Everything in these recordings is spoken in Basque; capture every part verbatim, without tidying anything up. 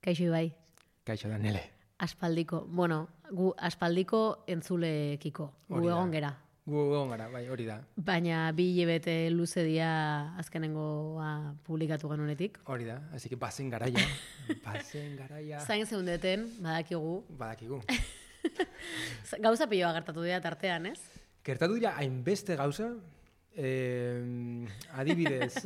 Kaixo Ibai. Kaixo Danele. Aspaldiko, bueno, gu aspaldiko entzulekiko. Gu egon gera. Gu egon gara, bai, hori da. Baina bi hilabete luze dia azkenengoa publikatu genunetik. Hori da, así que bazen garaia. Bazen garaia. Zain zeundeten, badakigu. Badakigu. Gauza piloa gertatu dira tartean, ez? Gertatu dira hainbeste gauza, eh, adibidez.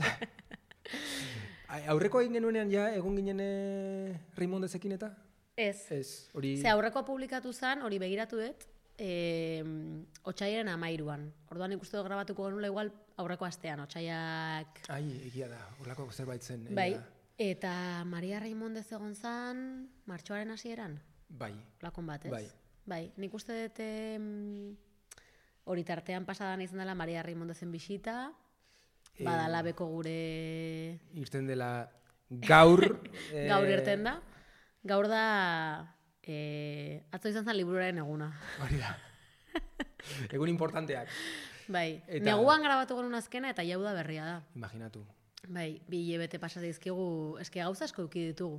Aurreko egin genuenean ja, egon ginen eh, Raimondezekin eta? Ez. Ez, hori... Ze aurrekoa publikatu zen, hori begiratu dut, eh, otsailaren amairuan. Orduan ikuste dut grabatuko genula igual aurreko astean, otsaiak... Ai, egia da, horlako zerbait zen. Bai, eta Maria Raimondez egon zen martxoaren hasieran? Bai. Lakon bat, ez? Bai. Bai, nik uste dut hori tartean pasadan izan dela Maria Raimondezen bisita, badala beko gure... Irten dela gaur... Gaur irten da. Gaur da, eh, atzo izan zen liburuaren eguna. Hori da. Egun importanteak. Bai, Eta... neguan grabatu genuen azkena eta jau da berria da. Imaginatu. Bai, bi hilabete pasa dizkigu, eske gauza asko eduki ditugu.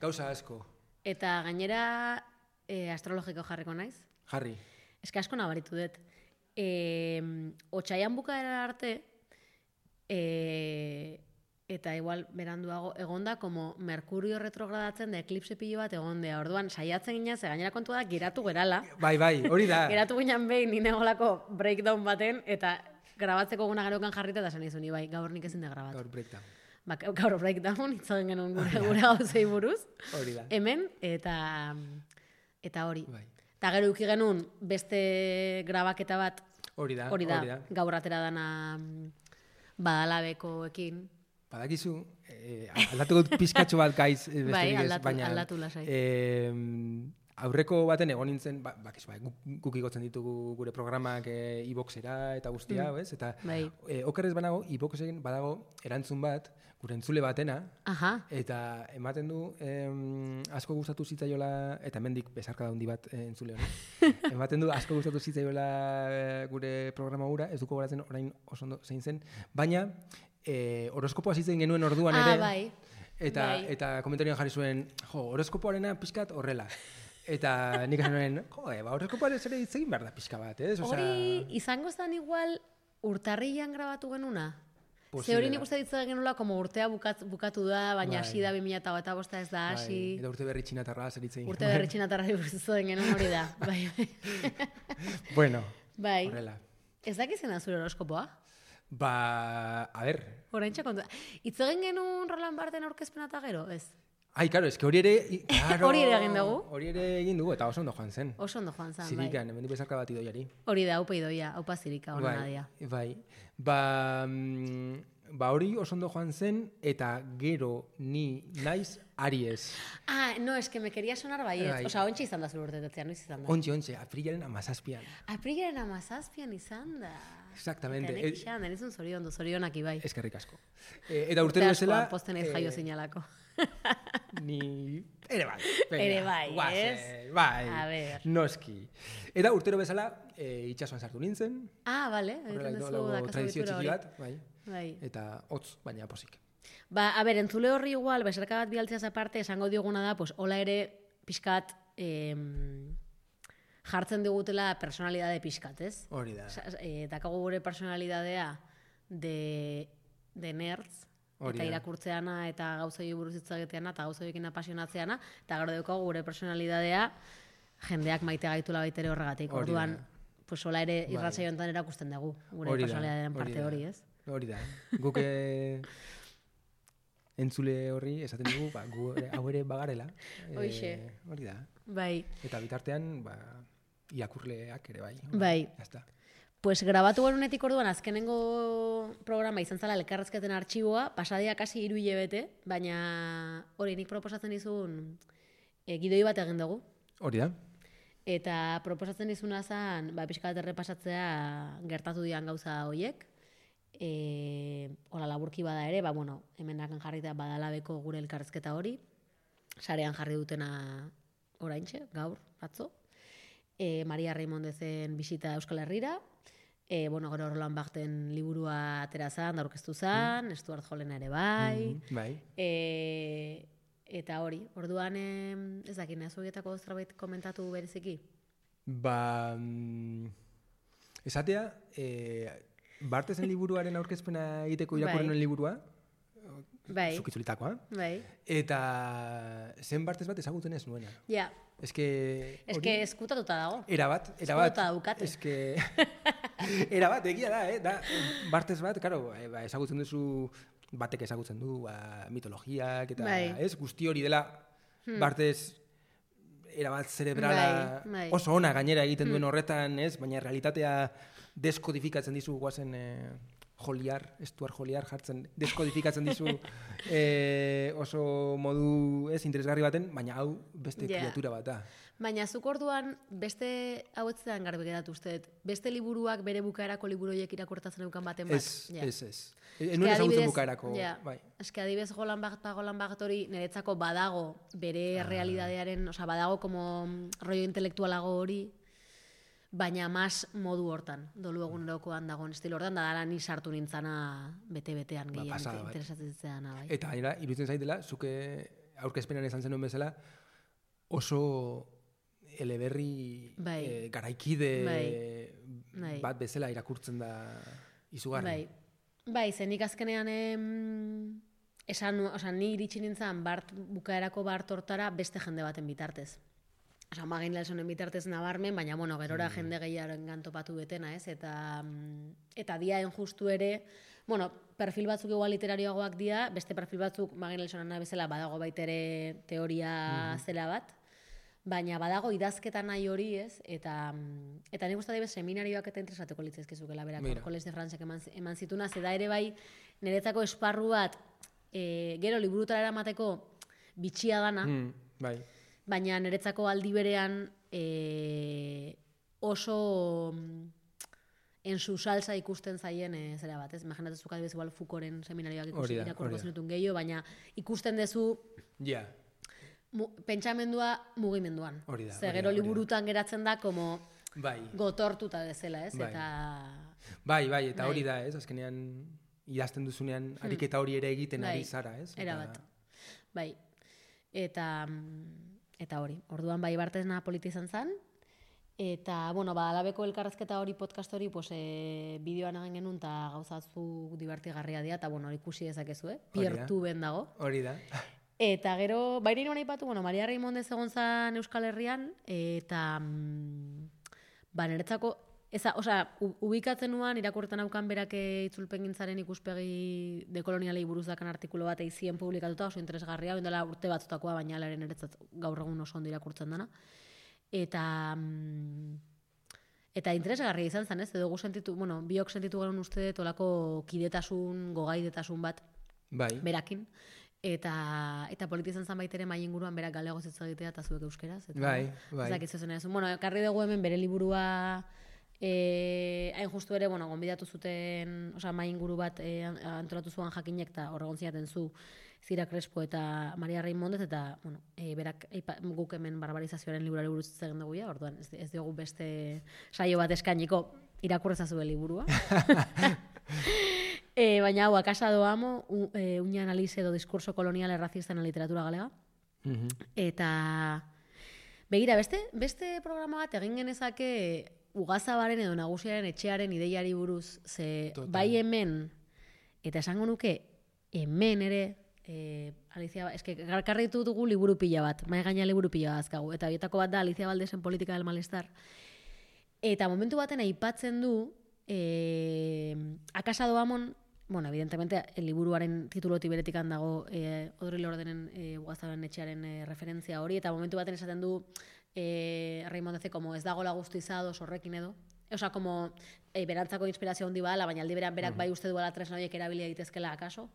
Gauza asko. Eta gainera eh, astrologiko jarriko naiz. Jarri. Eske asko nabaritu dut. Eh, otsaian bukaera arte, eh, eta igual beranduago egonda como Merkurio retrogradatzen da eklipse pilo bat egondea. Orduan saiatzen gina, ze gainera kontu da geratu gerala. Bai, bai, hori da. Geratu ginen behin ni negolako breakdown baten eta grabatzeko guna gerokan jarrita da zen izun, bai, gaur nik ezin da grabatu. Gaur breakdown. Ba, gaur breakdown itzagen genuen gure, gure gauzei buruz. Hori da. Hemen eta eta hori. Bai. Eta gero uki genuen beste grabaketa bat. Hori da, hori da. hori da. Gaur atera dana badalabekoekin. Badakizu, eh, aldatu dut pizkatxo bat gaiz, beste bai, bidez, aldatu, baina... aldatu lasai. Eh, aurreko baten egon nintzen, ba, bakizu, ba, guk igotzen ditugu gure programak eh, iboxera eta guztia, mm. ez? Eta bai. eh, okerrez banago, iboxen badago erantzun bat, gure entzule batena, Aha. eta ematen du eh, asko gustatu zitzaiola, eta hemendik besarka daundi bat eh, entzule hori, ematen du asko gustatu zitzaiola eh, gure programa gura, ez duko goratzen orain oso ondo zein zen, baina eh, horoskopoa zitzen genuen orduan ah, ere, bai. eta, bai. eta komentarioan jarri zuen, jo, horoskopoarena pixkat horrela. Eta nik esan nuen, jo, e, ba, horoskopoaren zere hitz egin behar da pixka bat, ez? Osea... Hori izango zen igual urtarrilan grabatu genuna? Ze hori nik uste ditzen genula, como urtea bukat, bukatu da, baina hasi da bi mila hogeita bosta ez da hasi. Bai, eta urte berri txinatarra zer hitz egin. Urte berri txinatarra buruzuen genuen hori da. Bai. Bueno, bai. horrela. Ez dakizena zure horoskopoa? Ba, a ber. Horaintxe kontu. Itz egin genuen Roland Barthen aurkezpena eta gero, ez? Ai, karo, eske hori ere... Claro, hori ere egin dugu. Hori ere egin dugu, eta oso ondo joan zen. Oso ondo joan zen, bai. Zirikan, hemen bezarka bat idoiari. Hori da, haupa idoia, haupa zirika, hori nadia. Bai, ba, mm, ba hori oso ondo joan zen, eta gero ni naiz Aries. Ah, no, es que me quería sonar baiet. Bai. Osa, ontsa izan da zure urtetetzea, noiz izan da? Ontxe, ontxe, aprilaren amazazpian. Aprilaren amazazpian izan da. Exactamente. Eta nek izan, denizun zoriondo, zorionak ibai. Eskerrik asko. E, eta urtero bezala... Urte posten ez jaio zinalako. Ni... Ere bai. Venga, Ere bai, guazen, ez? Bai, A ver. noski. Eta urtero bezala e, itxasuan sartu nintzen. Ah, bale. Horrela Egiten duzu indolago dakazu tradizio ohitura txiki hori. bat, bai. Bai. Eta hotz, baina posik. Ba, a ber, entzule horri igual, beserka bat bialtzeaz aparte, esango dioguna da, pues, hola ere pixkat em, jartzen digutela personalidade pixkat, ez? Hori da. E, dakago gure personalidadea de, de nerds, Hori eta da. irakurtzeana, eta gauzoi buruz hitzageteana, eta gauzoiekin apasionatzeana, eta gero daukagu gure personalidadea jendeak maite gaitula baitere horregatik. Hori Orduan, da. pues hola ere Bai. irratsaio honetan erakusten dugu, gure Hori da, personalidadearen hori parte da. hori, ez? Hori da. Guk eh, entzule horri esaten dugu, ba, gu ere- hau ere bagarela. Eh, Hoixe. Hori da. Bai. Eta bitartean, ba, irakurleak ere bai. Bai. Jazta. Pues grabatu genunetik orduan azkenengo programa izan zala elkarrezketen artxiboa, pasadia kasi hiru hilabete, baina hori nik proposatzen dizun e, gidoi bat egin dugu. Hori da. Eta proposatzen dizuna zen, ba, pixka bat errepasatzea gertatu dian gauza horiek. E, hola laburki bada ere, ba, bueno, hemenakan jarrita badalabeko gure elkarrezketa hori. Sarean jarri dutena oraintxe, gaur, atzo. E, Maria Raimondezen bisita Euskal Herrira. E, bueno, gero Roland Barthen liburua atera zan, da aurkeztu zan, mm. Stuart Hollen ere bai. Mm, bai. E, eta hori, orduan em, ez dakit, nahi zuetako zerbait komentatu bereziki? Ba, mm, esatea, e, Bartesen liburuaren aurkezpena egiteko irakurri nuen liburua, Bai. zukitzulitakoa, Bai. eta zen Bartes bat ezagutzen ez nuena. Ja. Ez que... Ez que eskutatuta dago. Era bat, era bat. Eskutatuta daukate. Ez que... Era bat, egia da, eh? Da, Bartes bat, karo, ba, ezagutzen duzu, batek ezagutzen du, ba, mitologiak, eta Bai. ez, guzti hori dela, hmm. Bartes erabat zerebrala bai, bai. oso ona gainera egiten duen horretan, ez? Baina realitatea deskodifikatzen dizu guazen eh, joliar, estuar joliar jartzen, deskodifikatzen dizu eh, oso modu ez interesgarri baten, baina hau beste yeah. kriatura bat da. Baina zuk orduan beste hau etzean garbi geratu uste, beste liburuak bere bukaerako liburoiek irakurtatzen eukan baten bat. Ez, ja. ez, ez. Enuen ezagutzen bukaerako. Ja. Bai. Ez que adibidez golan bat pa golan bat hori niretzako badago bere ah. realidadearen, osea badago como rollo intelektualago hori, baina mas modu hortan, dolu egunerokoan dagoen estilo hortan, da dala ni sartu nintzana bete-betean gehien ba, interesatzen zitzeana. Bai. Eta gainera, iruditzen zaitela, zuke aurkezpenan esan zenuen bezala, oso eleberri bai. eh, garaikide bai. bat bezala irakurtzen da izugarri. Bai, bai zenik azkenean em, esan, oza, ni iritsi nintzen bart, bukaerako bart hortara beste jende baten bitartez. Osa, magin lalsonen bitartez nabarmen, baina, bueno, gerora mm. jende gehiaren gantopatu betena, ez? Eta, eta diaen justu ere, bueno, perfil batzuk igual literarioagoak dia, beste perfil batzuk magin lalsonen bezala badago baitere teoria mm. zela bat, baina badago idazketa nahi hori, ez? Eta, eta nik uste dabe seminarioak eta interesateko litzezkezukela berak, Coles de Francek eman, eman zituna, zeda ere bai, niretzako esparru bat, e, gero liburutara eramateko bitxia dana, mm, bai. baina niretzako aldi berean e, oso en su salsa ikusten zaien e, zera bat, ez? Imaginatzen adibidez igual Foucaulten seminarioak ikusi irakurriko zenutun gehiago, baina ikusten dezu yeah. mu, pentsamendua mugimenduan. Hori da. Ze gero liburutan geratzen da como bai. gotortuta bezala, ez? Bai. Eta bai, bai, eta bai. Hori da, ez? Azkenean idazten duzunean ariketa hori ere egiten bai. ari zara, ez? Era bat. Bai. Eta Eta hori, orduan bai Bartesna politi izan zen, eta, bueno, ba, alabeko elkarrezketa hori podcast hori, pues, e, bideoan egin genuen, eta gauzatzu divertigarria dira, eta, bueno, ikusi dezakezu, eh? Piertu ben dago. Hori da. Eta gero, bairi nuen aipatu, bueno, Maria Raimondez egon zen Euskal Herrian, eta, ba, niretzako, eza, osea, ubikatzen nuan, irakurretan aukan berak itzulpen gintzaren ikuspegi dekolonialei buruz dakan artikulo bat eizien publikatuta, oso interesgarria, bendela urte batzutakoa, baina alaren eretzat gaur egun oso ondo irakurtzen dana. Eta, eta interesgarria izan zen, ez? Edo gu sentitu, bueno, biok sentitu garen uste tolako kidetasun, gogaidetasun bat bai. berakin. Eta, eta politi izan zen baitere mai inguruan berak galego zitza egitea eta zuek euskeraz. Eta, bai, bai. Ezak izuzen ez. Bueno, karri dugu hemen bere liburua E, hain justu ere, bueno, gonbidatu zuten, osea, mai inguru bat e, antolatu zuan jakinek, eta horregon ziaten zu Zira Crespo eta Maria Raimondez, eta, bueno, e, berak eipa, guk hemen barbarizazioaren liburari buruz egin dugu ja, orduan, ez, ez diogu beste saio bat eskainiko irakurrezazu liburua. e, baina hau, akasa doamo, un, e, una analize do diskurso kolonial errazista en la literatura galega. Mm-hmm. Eta, begira, beste, beste programa bat egin genezake Ugazabaren edo Nagusiaren etxearen ideiari buruz, ze Total. Bai hemen, eta esango nuke, hemen ere, e, Alicia, eske garkarri dugu liburu pila bat, mai gaina liburu pila azkagu, eta bietako bat da Alicia Valdesen Politika del Malestar. Eta momentu baten aipatzen du, e, akasa doamon, bueno, evidentemente, el liburuaren tituloti beretikan dago e, Odri Lordenen e, Ugazabaren etxearen e, referentzia hori, eta momentu baten esaten du, Eh, Raimondeze, como ez dagoela guztizados horrekin edo. Osa, como eh, berantzako inspirazio handi badala, baina aldi beran berak uh-huh. bai uste duela tresna horiek erabilia daitezkela akaso.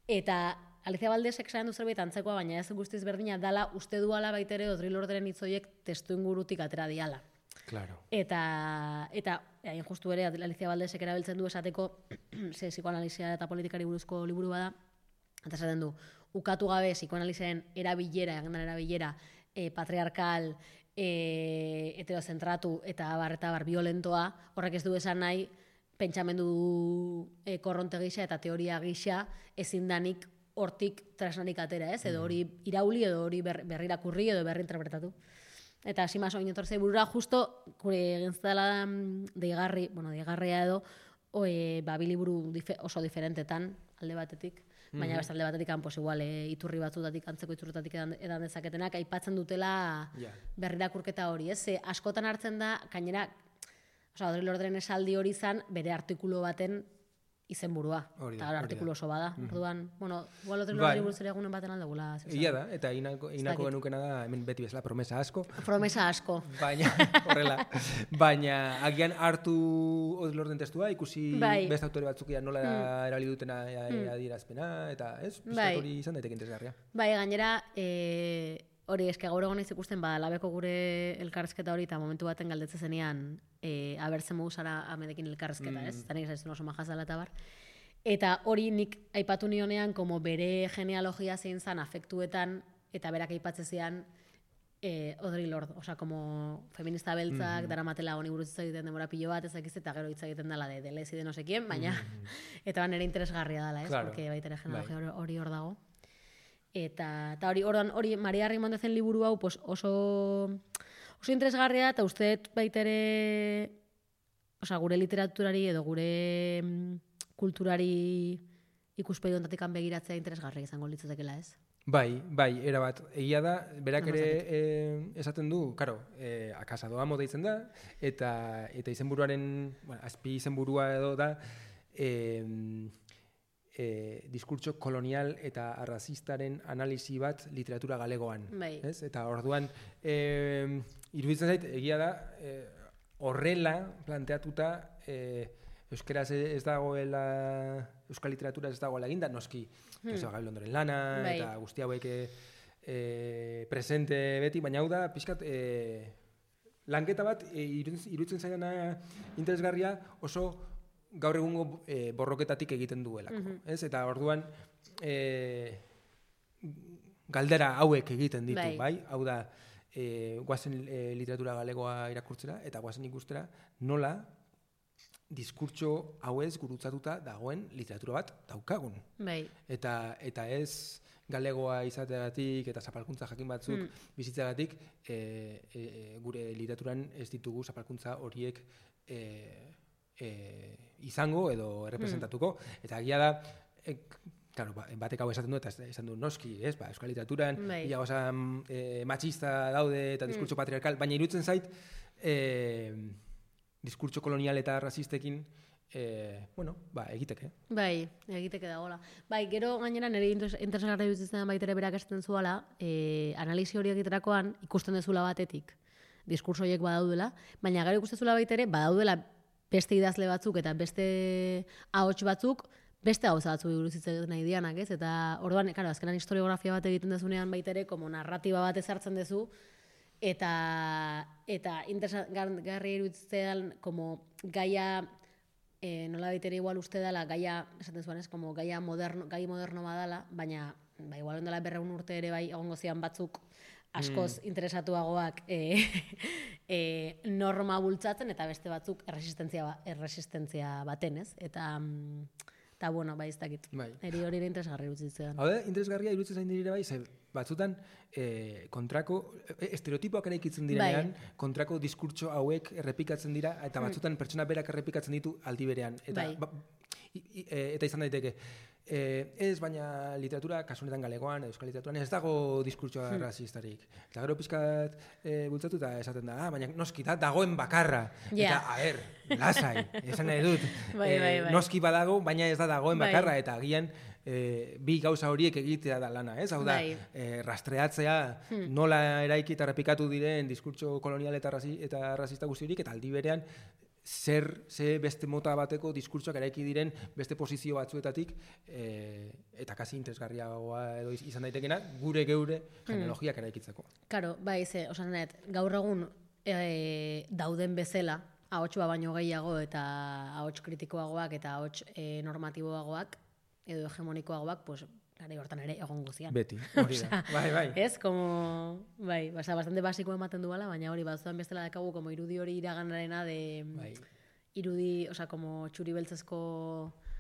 Eta Alicia Valdesek esan du zerbait antzekoa, baina ez guztiz berdina dala uste duala baitere Odri Lordenen hitz horiek testu ingurutik atera diala. Claro. Eta, eta hain justu ere Alicia Valdesek erabiltzen du esateko ze psikoanalizia eta politikari buruzko liburu bada, eta esaten du, ukatu gabe psikoanalizaren erabilera, agendan erabilera, e, patriarkal, e, heterozentratu eta bar eta bar violentoa, horrek ez du esan nahi pentsamendu e, korronte gisa eta teoria gisa ezin danik hortik tresnarik atera, ez? Edo hori irauli, edo hori ber, berrirakurri, edo berri interpretatu. Eta hasi maso inotortzei burura, justo, gure egin zela deigarri, bueno, deigarria edo, oe, ba, biliburu dife, oso diferentetan, alde batetik, baina beste alde batetik, pues, igual, e, iturri batzutatik, antzeko iturritatik edan, edan dezaketenak, aipatzen dutela yeah. berrirakurketa hori, ez? Ze, askotan hartzen da, gainera, oza, Audre Lordren esaldi hori izan, bere artikulu baten izenburua. Eta artikulu oso bada. Mm -hmm. Orduan, bueno, igual Audre Lordren buruz ere egunen baten aldegula. Ia da, eta inako, inako genukena da, hemen beti bezala, promesa asko. Promesa asko. Baina, horrela, baina agian hartu Audre Lorden testua, ikusi bai. Beste autore batzuk nola mm. erabili dutena mm. adierazpena, eta ez, bai. Hori izan daiteke interesgarria. Bai, gainera, e, hori eske gaur egon ez ikusten, ba, labeko gure elkarrezketa hori, eta momentu baten galdetzen zenean, e, abertzen moguzara amedekin elkarrezketa, mm. ez? Eta nik zaizun oso majazala eta bar. Eta hori nik aipatu nionean, como bere genealogia zein zan afektuetan, eta berak aipatzen zian, eh, Audre Lorde, osea, como feminista beltzak, mm. daramatela honi buruz hitz egiten demora pilo bat, ez dakiz, eta gero hitz egiten dela de Deleuze de no sé quién, baina, mm. eta nere interesgarria dela, ez? Claro. Porque baita ere genealogia hori hor dago. Eta, eta hori, orduan, hori, Maria Rimondezen liburu hau, pues oso, oso interesgarria, eta uste baita ere, osea, gure literaturari edo gure kulturari ikuspegi honetatik begiratzea interesgarria izango litzatekeela, ez? Bai, bai, erabat. Egia da, berak ere eh, esaten du, karo, eh, akasado amo deitzen da, eta, eta izenburuaren, bueno, azpi izenburua edo da, eh, eh, diskurtso kolonial eta arrazistaren analisi bat literatura galegoan. Bai. Ez? Eta orduan, eh, iruditzen zait, egia da, eh, horrela planteatuta, eh, euskeraz ez dagoela, euskal literatura ez dagoela eginda, noski, hmm. Gabriel Londoren lana, bai. Eta guzti hauek e, presente beti, baina hau da, pixkat, e, lanketa bat, e, iruditzen zaidana interesgarria oso gaur egungo e, borroketatik egiten duelako. Mm-hmm. Ez? Eta orduan, e, galdera hauek egiten ditu, bai? bai? Hau da, e, guazen e, literatura galegoa irakurtzera, eta guazen ikustera, nola, diskurtso hauez gurutzatuta dagoen literatura bat daukagun. Bai. Eta, eta ez galegoa izateagatik eta zapalkuntza jakin batzuk mm. bizitzagatik e, e, gure literaturan ez ditugu zapalkuntza horiek e, e, izango edo errepresentatuko. Mm. Eta agia da, e, claro, batek hau esaten du eta esan du noski, ez, ba, euskal literaturan bai. Ia osa e, machista daude eta diskurtso mm. patriarkal, baina iruditzen zait e, diskurtso kolonial eta razistekin, eh, bueno, ba, egiteke. Bai, egiteke dagoela. Bai, gero gainera nire interesgarra dutzen baitere berak esaten zuela, eh, analisi hori egiterakoan ikusten dezula batetik, diskurso horiek badaudela, baina gero ikusten dezula baitere, badaudela beste idazle batzuk eta beste ahots batzuk, beste gauza batzu buruz hitz egiten nahi dianak, ez? Eta orduan, claro, azkenan historiografia bat egiten dezunean baitere, como narratiba bat ezartzen dezu, eta eta interesgarri iruditzen como gaia eh, nola baitere igual uste dela gaia esaten zuen ez como gaia moderno gai moderno badala, baina ba igual ondela berrehun urte ere bai egongo zian batzuk askoz mm. interesatuagoak eh, eh, norma bultzatzen eta beste batzuk erresistentzia erresistentzia baten, ez? Eta eta bueno, bai ez dakit. Bai. Eri hori ere interesgarri iruditzen. Hau da, interesgarria iruditzen zain dire bai, ze batzutan eh, kontrako, estereotipoak eraikitzen direnean, bai. Kontrako diskurtso hauek errepikatzen dira, eta batzutan hmm. pertsona berak errepikatzen ditu aldi berean. Eta, bai. ba, i, i, eta izan daiteke, eh, ez baina literatura, kasunetan galegoan, euskal literaturan, ez dago diskurtsoa hmm. razistarik. Eta gero pizkat eh, bultzatu eta esaten da, ah, baina noski da, dagoen bakarra. Yeah. Eta, a ber, lasai, esan nahi dut. Bai, bai, bai. Noski badago, baina ez da dagoen bakarra, bai. Eta agian, E, bi gauza horiek egitea da lana, ez? Hau da, e, rastreatzea hmm. nola eraiki eta repikatu diren diskurtso kolonial eta, razi, eta razista guzti horiek, eta aldi berean zer, ze beste mota bateko diskurtsoak eraiki diren beste posizio batzuetatik e, eta kasi interesgarriagoa edo izan daitekena gure geure genealogiak hmm. eraikitzeko. Karo, bai, ze, osan net, gaur egun e, dauden bezala, ahots baino gehiago eta ahots kritikoagoak eta ahots e, normatiboagoak edo hegemonikoagoak, pues, gare hortan ere egon guzian. Beti, hori da. Bai, bai. Ez, como, bai, basa, bastante basiko ematen duela, baina hori, batzuan bestela dakagu, como irudi hori iraganarena de, bai. Irudi, oza, como txuri beltzezko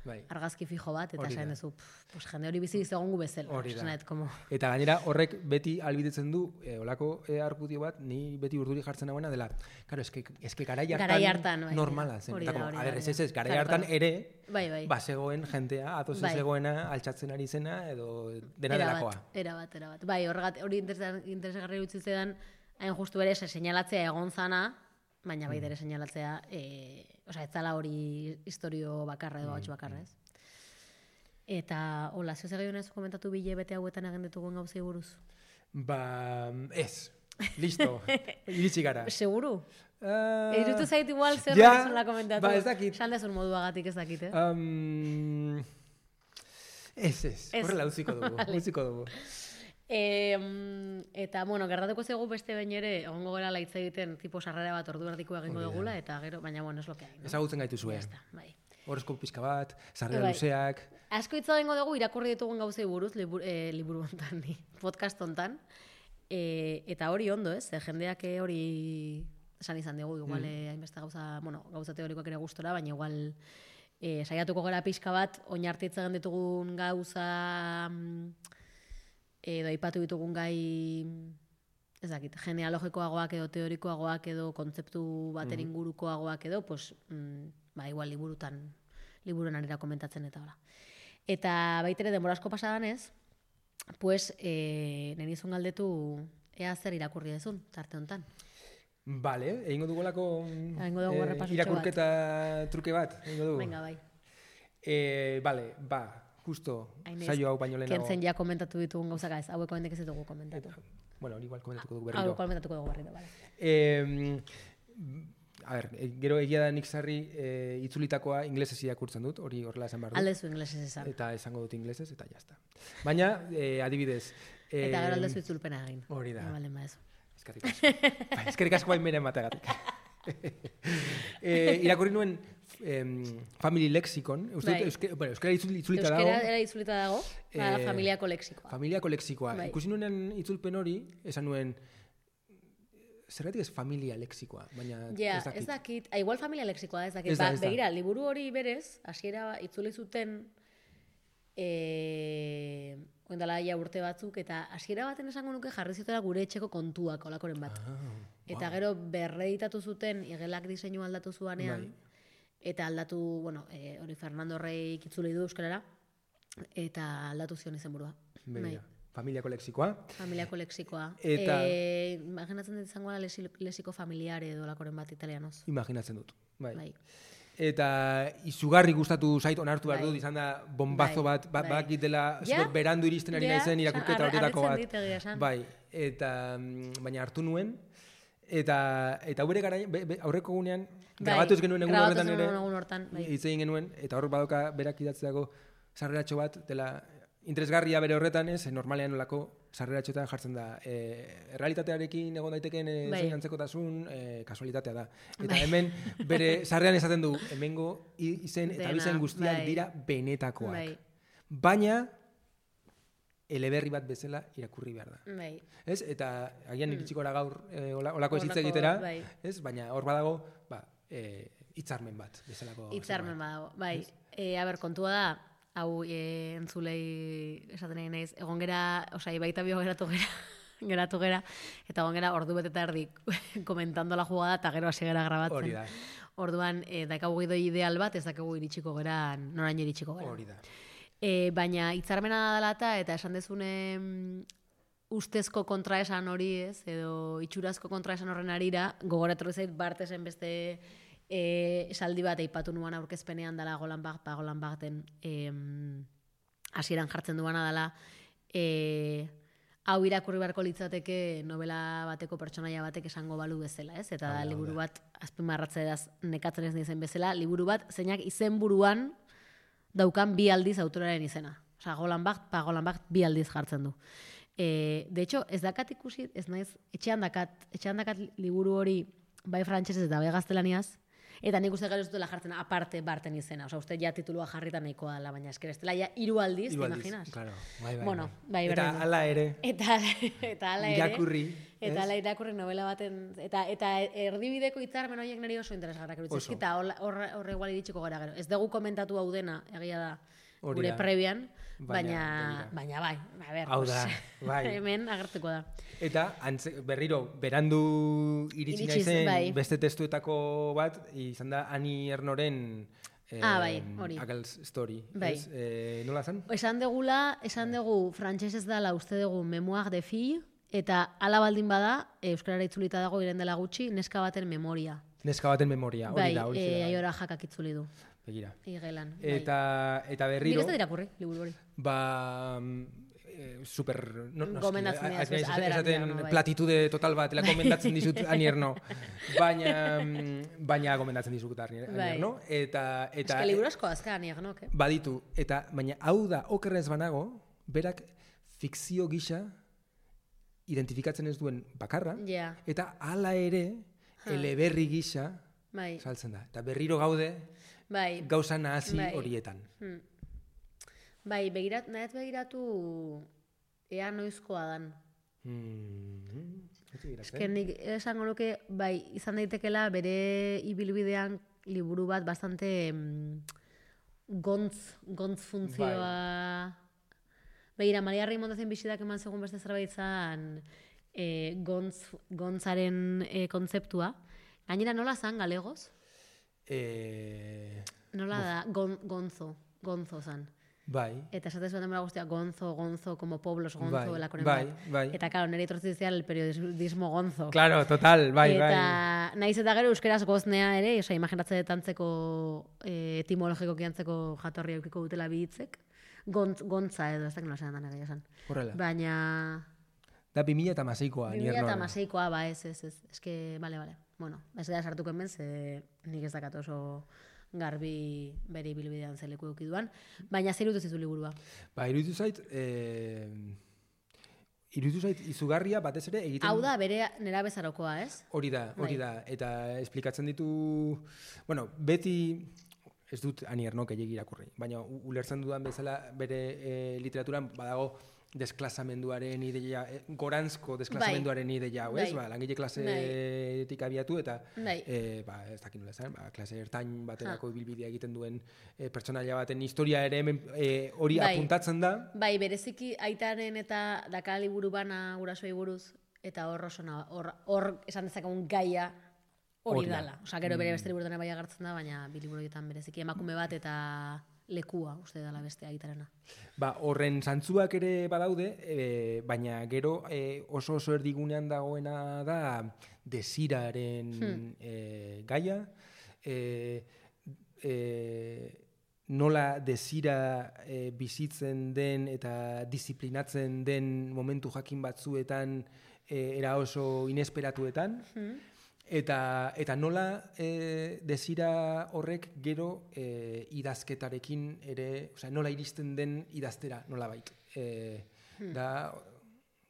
bai. argazki fijo bat, eta Hori esan da. duzu, pff, pues jende hori bizi egongo bezala. Hori da. Esan dut, como... Eta gainera horrek beti albidetzen du, e, olako e, argudio bat, ni beti urduri jartzen nagoena dela, claro, eske, eske garai hartan, Garai hartan, bai, normala zen. hori Eta da, como, hori a da, ber, hori ez da. ez ez, garai Claro, hartan claro. ere, Bai, bai. ba, zegoen jentea, atoz Bai. zegoena, altxatzen ari zena, edo dena Era delakoa. bat, era bat, era bat. Bai, horregat, hori interesa- interesgarri utzi zedan, hain justu ere, seinalatzea egon zana, baina baita ere seinalatzea, e, osea, ez zala hori historio bakarra edo batxu bakarra, ez? Eta, hola, zeu zer ez komentatu bile bete hauetan egin ditugun gauzei buruz? Ba, ez. Listo. Iritsi gara. Seguru? Uh, Irutu zait igual zer ja, ja, komentatu. ba, ez dakit. Esan dezun moduagatik ez dakit, eh? Um, ez, ez. Ez. Horrela utziko dugu. Vale. Utziko dugu. E, eta, bueno, gertatuko zego beste behin ere, egongo gara hitz egiten, tipo sarrera bat ordu erdiko egingo Hori da. dugula, eta gero, baina, bueno, es lo que hay, no? Ezagutzen gaitu Ya zuen. está, bai. Horrezko pizka bat, sarrera Bai. luzeak. Asko hitz egingo dugu irakurri ditugun gauzei buruz, liburu, e, liburu hontan, ni, podcast hontan. E, eta hori ondo, ez? E, jendeak hori esan izan dugu, igual mm. hainbeste gauza, bueno, gauza teorikoak ere gustora, baina igual e, saiatuko gara pixka bat, oinarti hitz egin ditugun gauza mm, edo aipatu ditugun gai ez dakit, genealogikoagoak edo teorikoagoak edo kontzeptu baten ingurukoagoak edo, pues, mm, ba, igual liburutan, liburuan arira komentatzen eta hola. Eta baitere denbora asko pasadan ez, pues, e, nenizun galdetu ea zer irakurri dezun, tarte hontan. Vale, egingo dugulako Egingo dugu errepasotxo bat. irakurketa truke bat. Egingo dugu. Venga, bai. Eh, vale, ba, justo, Hainez, saio hau baino lehenago. Kentzen ja komentatu ditugun gauzaka ez, haueko hendik ez ditugu komentatu. Bueno, hori igual komentatuko dugu berriro. Haueko komentatuko dugu berriro, bale. Eh, a ber, e, gero egia da nik sarri e, itzulitakoa inglesez irakurtzen dut, hori horrela esan behar dut. Aldezu inglesez esan. Eta esango dut inglesez, eta jazta. Baina, e, adibidez... E, Eta gero aldezu itzulpena egin. Hori da. Bale, ba ez. Eskerrik asko. Bai, eskerrik asko bain beren bategatik. e, irakurri nuen em, Family Lexicon. Uste, Bai. euske, bueno, euskara itzul, itzulita dago. Euskera era itzulita dago, bada Eh, familiako lexikoa. Familiako lexikoa. Bai. Ikusi nuen itzulpen hori, esan nuen, zergatik ez familia lexikoa, baina Ja, ez dakit. ez dakit. Ah, igual familia lexikoa da, ez dakit. Ez da, Ba, ez da. begira, liburu hori berez, hasiera itzuli zuten eh oindala ja urte batzuk, eta hasiera baten esango nuke jarri zutela gure etxeko kontuak olakoren bat. Ah, Eta gero berreditatu zuten igelak diseinu aldatu zuanean, Bai. eta aldatu, bueno, e, hori Fernando Reik itzuli du euskarara, eta aldatu zion izenburua. Bai. begira. Familiako lexikoa. Familiako lexikoa. Eta- E, imaginatzen dut izango da lesi- lexiko familiare edo olakoren bat italianoz. Imaginatzen dut. Bai. Bai. Eta izugarri gustatu zait onartu behar Bai. dut, izan da bombazo Bai, bat, ba, bai. bakit dela Ja? super berandu iristen ari Ja, naizen irakurketa har- horietako harritzen bat. dit egia esan. Bai, eta mm, baina hartu nuen, eta eta bere gara, be, be, aurreko gunean, Bai, grabatu ez genuen egun grabatu horretan zenuen ere, egun hortan, bai. hitz egin genuen, eta hor badoka berak idatzeako sarreratxo bat, dela interesgarria bere horretan ez, normalean olako sarreratxoetan jartzen da, e, errealitatearekin egon daitekeen e, Bai. zein antzekotasun, e, kasualitatea da. Eta Bai. hemen bere sarrean esaten du, hemengo i- izen eta Dena, abizen guztiak bai. dira benetakoak. Bai. Baina, eleberri bat bezala irakurri behar da. Bai. Ez? Eta agian iritsiko gara gaur e, ola- olako ez hitz Horrelako, egitera, bai. ez? Baina hor badago, ba, e, hitzarmen bat bezalako. Hitzarmen badago. Bai. E, a ber, kontua da, hau e, entzulei esaten egin naiz, egon gera, osea, baita bio geratu gera, geratu gera, eta egon gera ordu bete eta erdi komentando la jugada, eta gero hasi gera grabatzen. Hori da, Orduan, e, dakagu gidoi ideal bat, ez dakagu iritsiko gera, noraino iritsiko gera. hori da. E, baina hitzarmena dela eta, eta esan dezune mm, ustezko kontraesan hori ez, edo itxurazko kontraesan horren arira, gogoratu zait Bartesen beste e, esaldi bat aipatu nuan aurkezpenean dela Golan Bag, pa Golan Bagten em, hasieran jartzen duana dela, e, hau irakurri beharko litzateke novela bateko pertsonaia batek esango balu bezala, ez? Eta da, Hau da, liburu hau da. bat, azpimarratzeaz nekatzen ez nizen bezala, liburu bat zeinak izenburuan daukan bi aldiz autoraren izena. Osa, Golan Bag, pa Golan Bag bi aldiz jartzen du. E, de hecho, ez dakat ikusi, ez naiz, etxean dakat, etxean dakat liburu hori bai frantsesez eta bai gaztelaniaz, Eta nik uste gero ez dutela jartzen aparte barten izena. Osa, uste ja titulua jarrita nahikoa dela, baina esker ez dela ja hiru aldiz, te imaginas? Claro, bai, bai. Bueno, bai, eta berdin. hala ere. Eta, eta hala ere. Irakurri. Eta hala irakurri novela baten. Eta, eta erdibideko hitzarmen horiek niri oso interesgarrak iruditzen. Eta horre hor, igual iritsiko gara gero. Ez dugu komentatu hau dena, egia da, gure prebian. Baina, baina bai, a ber, hau da, bai. Hemen agertuko da. Eta antze, berriro, berandu iritsi naizen bai. Beste testuetako bat, izan da Ani Ernoren eh, ah, bai, hori. Agals Story. Bai. Ez, eh, nola zen? Esan degula, esan dugu frantsesez dela uste dugu Memoir de Fille, eta ala baldin bada, euskarara itzulita dago iren dela gutxi, neska baten memoria. Neska baten memoria, hori bai, da. Hori e, aiora jakak itzuli du. Begira. Igelan. Eta, bai. Eta berriro... Nik ez da irakurri, liburu hori. Ba... Eh, super... No, no, gomendatzen dira. Esaten platitude total bat, ela gomendatzen dizut Anierno. Baina... Baina gomendatzen dizut Anierno. Eta... eta ez que liburu asko azka Aniernok, eh? Baditu. Eta, baina hau da, okerrez banago, berak fikzio gisa identifikatzen ez duen bakarra. Yeah. Eta hala ere, huh. eleberri gisa bai. Saltzen da. Eta berriro gaude... Bai. Gauza nahasi bai. Horietan. Hmm. Bai, begirat, nahet begiratu ea noizkoa dan. Hmm. Ezken nik esango nuke, bai, izan daitekela bere ibilbidean liburu bat bastante mm, gontz, gontz funtzioa... Bai. Begira, Maria Raimondozen bizidak eman segun beste zerbait zan e, gontz, gontzaren e, kontzeptua. Gainera nola zan, galegoz? Eh, Nola da, gon, gonzo, gonzo zan. Bai. Eta esatez bat demora guztia, gonzo, gonzo, como pueblos, gonzo, bai, elakoren bai, bat. Bai. Eta, claro, nire itortzizial el periodismo gonzo. Claro, total, bai, eta, bai. Eta, nahiz eta gero euskeraz goznea ere, oza, imaginatze detantzeko eh, etimologiko kiantzeko jatorria eukiko dutela bihitzek. Gontz, gontza edo, ez da, nola zelan dana esan. Horrela. Baina... Da bi mila eta hamaseikoa. bi mila eta hamaseikoa, ba, ez, ez, ez. Ez que, bale, bale. Bueno, ez gara sartuko hemen, ze nik ez dakat oso garbi bere ibilbidean zeleku eukiduan. Baina zer irutu zizu liburua? Ba, irutu zait, eh, irutu zait izugarria batez ere egiten... Hau da, bere nera bezarokoa, ez? Hori da, hori da. Eta esplikatzen ditu... Bueno, beti... Ez dut Aniernok gehiegi irakurri. Baina ulertzen dudan bezala bere e, literaturan badago desklazamenduaren ideia, eh, goranzko desklazamenduaren bai. Ideia, hau ez? Bai. Ba, langile klasetik abiatu eta bai. eh, ba, ez dakit nola esan, ba, klase ertain baterako ibilbidea egiten duen eh, pertsonaia baten historia ere hemen eh, hori bai. Apuntatzen da. Bai, bereziki aitaren eta daka liburu bana gurasoei buruz eta hor osona, hor, hor esan dezakegun gaia hori dala. Osa, gero bere beste liburutan bai agertzen da, baina bi liburuetan bereziki emakume bat eta lekua, uste dela beste aitarena. Ba, horren zantzuak ere badaude, e, baina gero e, oso oso erdigunean dagoena da desiraren hmm. e, gaia, e, e, nola desira e, bizitzen den eta disiplinatzen den momentu jakin batzuetan e, era oso inesperatuetan, hmm. Eta, eta nola e, desira horrek gero e, idazketarekin ere, osea, nola iristen den idaztera, nola bait. E, hmm. Da,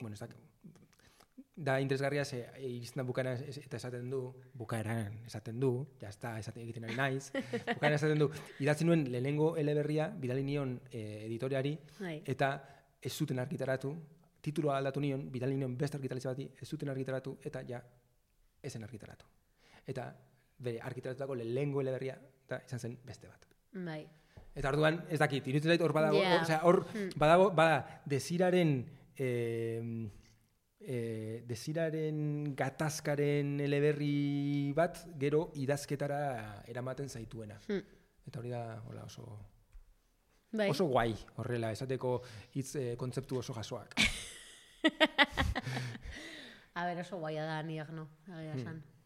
bueno, ez da, da interesgarria ze iristen da bukaera eta esaten du, bukaeran esaten du, jazta esaten egiten ari naiz, bukaeran esaten du, idatzen nuen lehenengo eleberria, bidali nion e, editoriari, Hai. Eta ez zuten argitaratu, tituloa aldatu nion, bidali nion beste argitaletxe bati, ez zuten argitaratu, eta ja, ezen argitaratu. Eta bere argitaratutako lehengo eleberria eta izan zen beste bat. Bai. Eta orduan, ez dakit, iruditzen zait hor badago, yeah. Osea, hor hmm. badago, bada, desiraren eh, eh, desiraren gatazkaren eleberri bat gero idazketara eramaten zaituena. Hmm. Eta hori da, hola, oso bai. Oso guai, horrela, esateko hitz eh, kontzeptu oso jasoak. A ber, oso guaia da, niak no, agia esan. Hmm.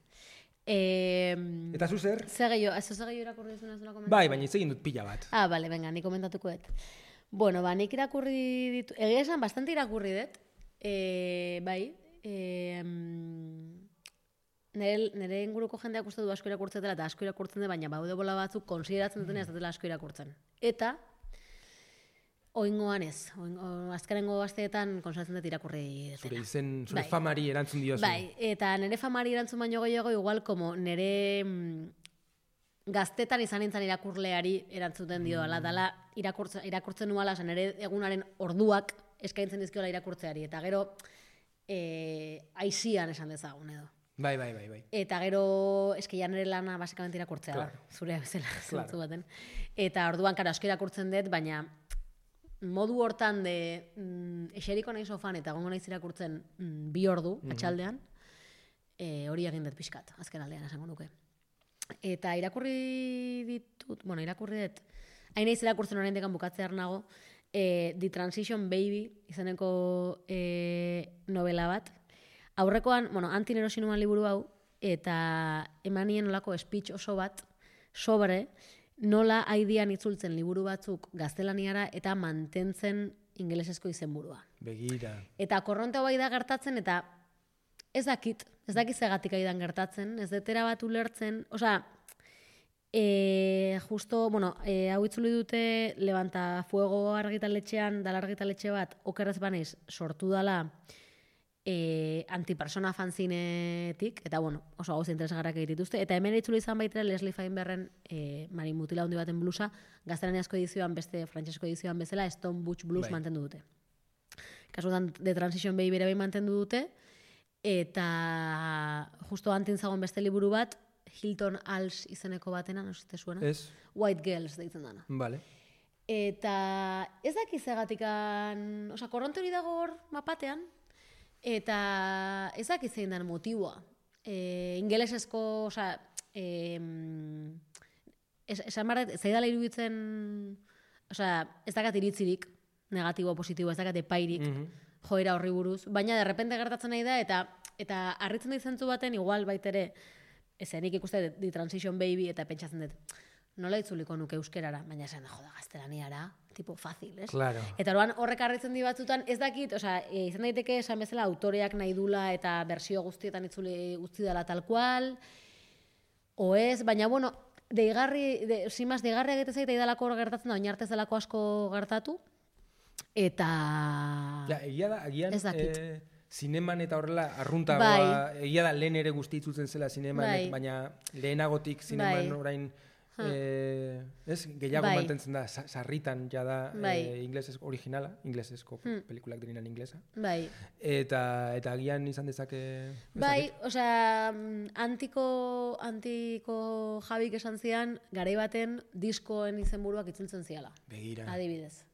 Eh, Eta zu zer? Zer gehiago, ez zer gehiago irakurri duzuna zela komentatu? Bai, baina itzegin dut pila bat. Ah, bale, venga, nik komentatuko dut. Bueno, ba, nik irakurri ditu, egia esan, bastante irakurri dut, eh, bai, eh, nire, nire inguruko jendeak uste du asko irakurtzetela eta asko irakurtzen dut, baina baude bola batzuk konsideratzen dutena ez datela asko irakurtzen. Eta, oingoan ez, oingo, azkarengo asteetan konsultatzen dut irakurri dutena. Zure izen, zure bai. Famari erantzun diozu. Bai, eta nire famari erantzun baino gehiago igual como nire gaztetan izan nintzen irakurleari erantzuten dio, ala, dala irakurtzen, irakurtzen nuala, zen ere egunaren orduak eskaintzen dizkiola irakurtzeari, eta gero e, aizian esan dezagun edo. Bai, bai, bai, bai. Eta gero eski ja nire lana basikamente irakurtzea, claro. Zure bezala zentzu claro. baten. Eta orduan, karo, asko irakurtzen dut, baina modu hortan de mm, eseriko nahi sofan eta gongo naiz irakurtzen mm, bi ordu, mm-hmm. atxaldean, e, hori egin dut pixkat, azken aldean esango nuke. Eta irakurri ditut, bueno, irakurri dut, hain naiz irakurtzen orain dekan bukatzear nago, e, The Transition Baby izeneko e, novela bat. Aurrekoan, bueno, Antin erosi nuan liburu hau, eta emanien nolako speech oso bat, sobre nola haidian itzultzen liburu batzuk gaztelaniara eta mantentzen ingelesezko izenburua. Begira. Eta korronte bai da gertatzen, eta ez dakit, ez dakit zegatik aidan gertatzen, ez detera bat ulertzen, osea, e, justo, bueno, e, hau itzuli dute Levanta Fuego argitaletxean, dala argitaletxe bat, okerrez banez, sortu dala e, antipersona fanzinetik, eta bueno, oso gauza interesgarrak egitituzte, eta hemen itzuli izan baitera Leslie Feinbergen e, Mari Mutila handi baten blusa, gaztelaniazko edizioan beste, frantsesko edizioan bezala, Stone Butch Blues bai. Mantendu dute. Kasutan, The Transition Baby ere bai mantendu dute, eta justo antin zagoen beste liburu bat, Hilton Als izeneko batena, no zite zuena? Ez. White Girls deitzen dana. Vale. Eta ez dakiz egatikan, oza, korronte hori dago hor mapatean, eta ez dakiz zein den motiboa. E, ingelesezko, oza, e, esan barret, zaidala iruditzen, oza, ez dakat iritzirik, negatibo, positibo, ez dakat epairik, mm-hmm. joera horri buruz, baina derrepente gertatzen nahi da, eta eta harritzen da izentzu baten, igual baitere, ezenik ikuste The Transition Baby, eta pentsatzen dut, nola itzuliko nuke euskerara, baina esan da, joda, gaztelaniara, tipo fácil, ez? Claro. Eta orduan horrek harritzen di batzutan, ez dakit, osea, e, izan daiteke esan bezala autoreak nahi dula eta bersio guztietan itzuli guzti dela tal cual, o ez, baina bueno, deigarri, de, simaz, deigarri egite zaita idalako hor gertatzen da, oinartez delako asko gertatu, eta... Ja, egia da, agian... Ez dakit. Eh... Zineman eta horrela arruntagoa, bai. Egia da lehen ere guzti itzutzen zela zineman, bai. Baina lehenagotik zineman bai. Orain eh, ez, gehiago bai. Mantentzen da, sarritan ja da bai. eh, inglesez originala, inglesezko hmm. pelikulak direnan inglesa. Bai. Eta, eta agian izan dezake... Bai, osea, antiko, antiko Jabik esan zian, garai baten diskoen izenburuak itzultzen ziala. Begira. Adibidez.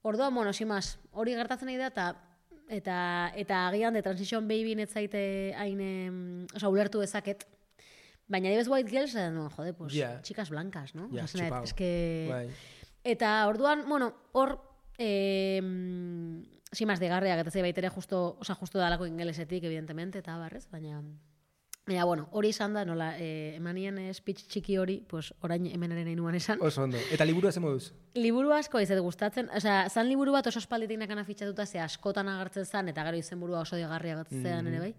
Orduan, bueno, simaz, hori gertatzen nahi da, eta Eta, eta agian The Transition Baby netzaite hain, oza, ulertu dezaket. Baina dibez White Girls, no, jode, pues, yeah. Chicas blancas, no? Yeah, Osa, es que... Bai. Eta orduan, bueno, hor, eh, simaz degarriak, eta zei baitere justo, oza, justo dalako ingelesetik, evidentemente, eta barrez, baina... Baina, bueno, hori izan da, nola, eh, emanien speech txiki hori, pues, orain hemenaren nahi nuan esan. Oso ondo. Eta liburu ez moduz? Liburu asko izet gustatzen, osea, zan liburu bat oso espalditik nakana fitxatuta, ze askotan agertzen zan, eta gero izenburua oso digarria agertzen mm. ere bai.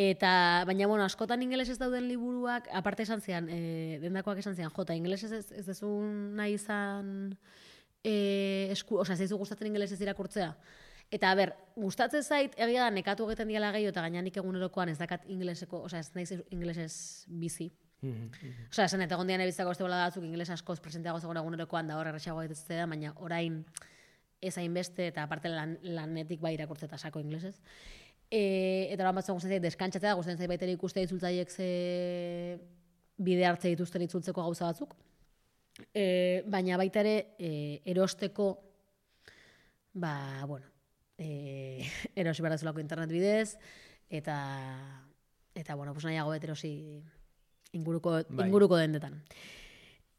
Eta, baina, bueno, askotan ingelesez dauden liburuak, aparte esan zian, eh, dendakoak esan zian, jota, ingelesez ez, ez dezun nahi izan, eh, esku, osea, zeizu gustatzen ingelesez irakurtzea. Eta, ber, gustatzen zait, egia da, nekatu egiten diala gehiago, eta gainenik egunerokoan ez dakat ingeleseko, osea, ez naiz ingelesez bizi. Mm-hmm. Osea, esan, eta gondian ebitzako ez bola datzuk ingeles askoz presenteago zegoen egunerokoan, da hor errexago egitetzte da, baina orain ez hainbeste, eta aparte lan, lanetik bai irakurtzeta sako ingelesez. E, eta lan batzen gustatzen zait, deskantzatzea, gustatzen zait baiteri ikuste itzultzaiek ze bide hartze dituzten itzultzeko gauza batzuk. E, baina baita ere, e, erosteko, ba, bueno, Eh, erosi behar dezulako internet bidez, eta, eta bueno, pues nahiago bet erosi inguruko, bai. inguruko dendetan.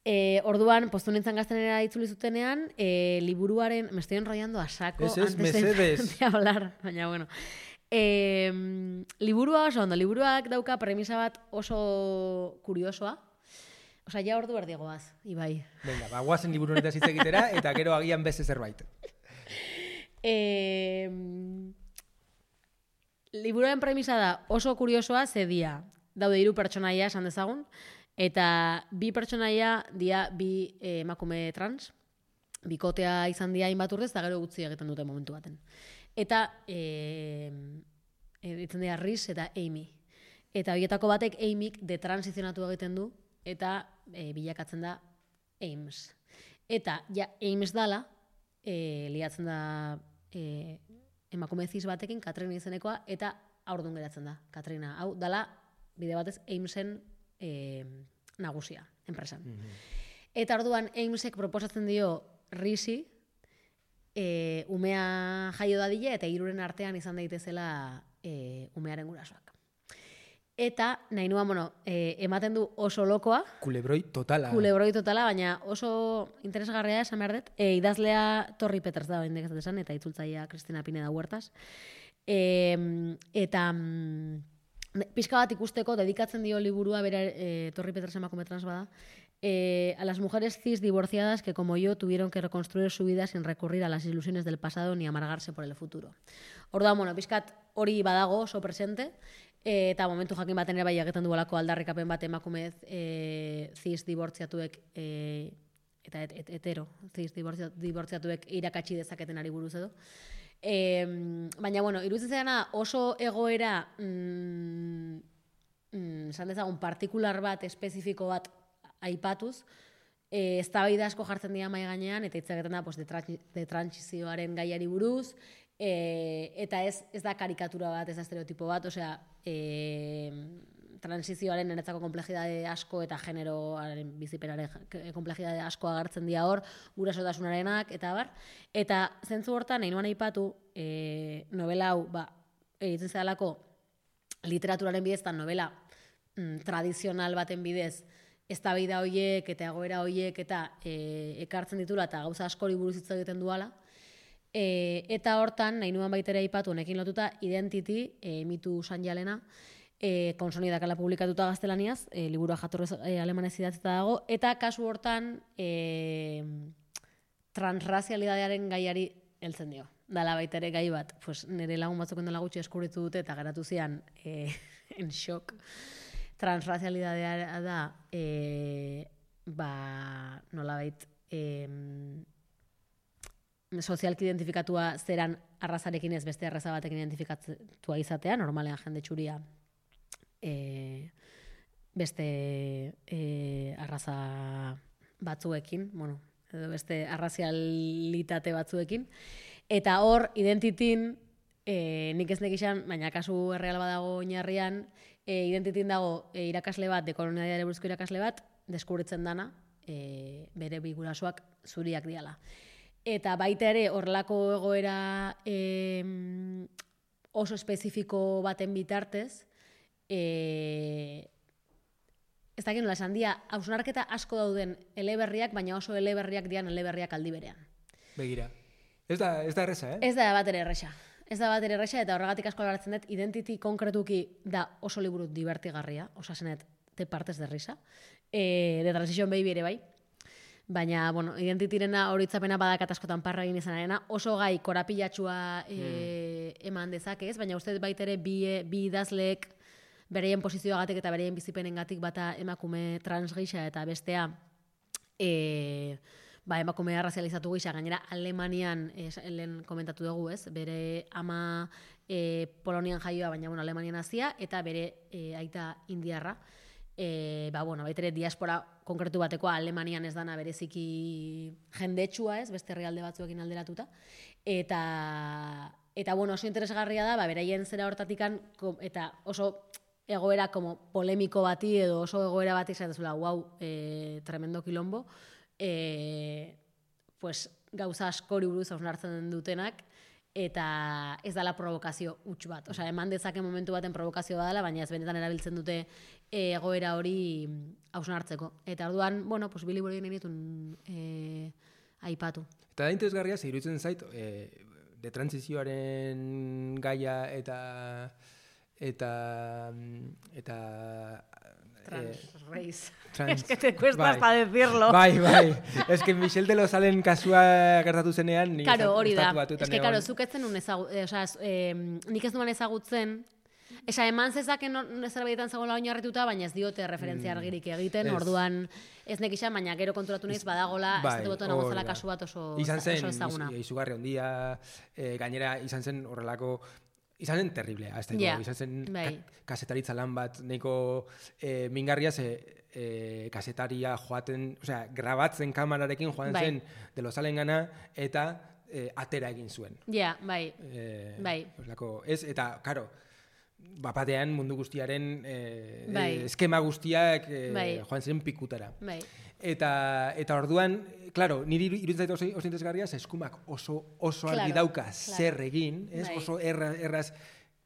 E, orduan, postu nintzen gaztenera itzuli zutenean, e, liburuaren, me estoy enrollando a saco, es, es, antes de, de hablar, baina bueno. E, liburua oso ondo, liburuak dauka premisa bat oso kuriosoa, Osa, ja ordu erdigoaz, Ibai. Venga, ba, guazen liburu honetaz hitz egitera, eta gero agian beste zerbait. Eh, liburuaren premisa da oso kuriosoa zedia. Daude hiru pertsonaia esan dezagun, eta bi pertsonaia dia bi eh, emakume trans, bikotea izan dia hainbat urrez, eta gero gutzi egiten dute momentu baten. Eta eh, ditzen dira Riz eta Amy. Eta horietako batek Amyk detranzizionatu egiten du, eta e, bilakatzen da Ames. Eta ja Ames dala, e, liatzen da e, emakume zis batekin, Katrina izenekoa, eta haurdun geratzen da, Katrina. Hau, dala, bide batez, Amesen e, nagusia, enpresan. Mm-hmm. Eta orduan, Amesek proposatzen dio Risi, e, umea jaio dadile, eta hiruren artean izan daitezela e, umearen gurasoak. Eta, nahi nuen, bueno, e, ematen du oso lokoa. Kulebroi totala. Kulebroi totala, baina oso interesgarria esan behar dut. E, idazlea Torri Peters da, bain dekazat esan, eta itzultzaia Cristina Pineda Huertas. E, eta mm, pixka bat ikusteko, dedikatzen dio liburua, bera e, Torri Peters emakume trans bada, eh, a las mujeres cis divorciadas que como yo tuvieron que reconstruir su vida sin recurrir a las ilusiones del pasado ni amargarse por el futuro. Orduan, bueno, pixkat hori badago oso presente, e, eta momentu jakin baten ere bai egiten duelako aldarrikapen bat emakumez e, cis divortziatuek e, eta et, et, hetero cis divortziatuek irakatsi dezaketen ari buruz edo. E, baina, bueno, iruditzen zaiana oso egoera mm, mm, esan dezagun partikular bat, espezifiko bat aipatuz, e, eztabaida asko jartzen dira mahai gainean, eta hitz egiten da pues, de, tra- de trantsizioaren gaiari buruz, e, eta ez, ez da karikatura bat, ez da estereotipo bat, osea, e, transizioaren niretzako komplejidade asko eta generoaren bizipenaren komplejidade asko agertzen dira hor, gurasotasunaren eta bar. Eta zentzu hortan, nahi nuan aipatu, e, novela hau, ba, egiten zedalako literaturaren bidez, eta novela mm, tradizional baten bidez, eztabaida horiek eta egoera horiek eta e, ekartzen ditula eta gauza askori buruz hitz egiten duala. E, eta hortan, nahi nuan baitere aipatu, honekin lotuta, Identity, e, mitu sanjalena, E, konsonidakala publikatuta gaztelaniaz, e, liburua jatorrez e, alemanez idatzita dago, eta kasu hortan e, transrazialidadearen gaiari heltzen dio. Dala baita ere gai bat, pues, nire lagun batzuken dela gutxi eskuritu dute eta geratu zian e, en shock. Transrazialidadea da e, ba, nolabait e, sozialki identifikatua zeran arrazarekin ez beste arraza batekin identifikatua izatea, normalean jende txuria E, beste e, arraza batzuekin, bueno, edo beste arrazialitate batzuekin, eta hor, Identityn, e, nik ez nekixan, baina kasu erreal badago oinarrian, e, Identityn dago e, irakasle bat, dekolonialitateari buruzko irakasle bat, deskubritzen dana, e, bere bi gurasoak zuriak diala. Eta baita ere, horrelako egoera e, oso espezifiko baten bitartez, E, ez dakit nola esan dia, hausnarketa asko dauden eleberriak, baina oso eleberriak dian eleberriak aldi berean. Begira. Ez da, ez da erresa, eh? Ez da bat ere erresa. Ez da bat ere erresa, eta horregatik asko alaratzen dut, Identity konkretuki da oso liburu divertigarria, osasenet, te partes de risa. E, de Transition Baby ere bai. Baina, bueno, Identityrena horitzapena badakat askotan parra egin izanarena, oso gai korapilatxua e, mm. eman dezake ez, baina uste baitere bi, bi idazleek bereien posizioagatik eta bereien bizipenengatik bata emakume trans gisa eta bestea e, ba, emakume arrazializatu gisa, gainera Alemanian, e, lehen komentatu dugu ez, bere ama e, Polonian jaioa, baina bueno, Alemanian hazia, eta bere e, aita indiarra, e, ba, bueno, baitere diaspora konkretu batekoa Alemanian ez dana bereziki jendetsua ez, beste herrialde batzuekin alderatuta, eta, eta bueno, oso interesgarria da, ba, beraien zera hortatikan, eta oso egoera como polemiko bati edo oso egoera bati zaitezula, wow, e, tremendo kilombo, e, pues, gauza askori buruz hausnartzen dutenak, eta ez dala provokazio huts bat. Osea, eman dezake momentu baten provokazio badala, baina ez benetan erabiltzen dute egoera hori hausnartzeko. Eta orduan, bueno, pues, bili borien egin e, aipatu. Eta da interesgarria, ze iruditzen zait, e, de transizioaren gaia eta eta eta trans eh, race. Trans, es que te cuesta bai, hasta decirlo. Bai, bai. Es que Michel de Lozalen kasua gertatu zenean, ni claro, hori da. Es que claro, zuk etzen un ezagu, eh, o sea, eh, nik ez duan ezagutzen. Esa eman zezaken zerbaitetan zegoela oinarrituta, baina ez diote referentzia argirik egiten, mm, orduan ez nekixan, baina gero konturatu naiz badagola, bai, ez dutu nagotzela kasu bat oso, izan zen, oso ezaguna. Izugarri ondia, eh, gainera izan zen horrelako izan zen terriblea, ez da, yeah. izan zen bai. ka, kasetaritza lan bat, nahiko e, mingarria ze e, kasetaria joaten, osea, grabatzen kamerarekin joan bai. zen de Lozalen gana, eta e, atera egin zuen. Ja, yeah, bai, e, bai. Oslako, ez, eta, karo, bapatean mundu guztiaren e, bai. e, eskema guztiak e, bai. joan zen pikutara. Bai. Eta, eta orduan, claro, niri iruditzen zait oso, oso interesgarria, eskumak oso, oso claro, argi dauka claro. zer egin, ez? Bai. Oso erra, erraz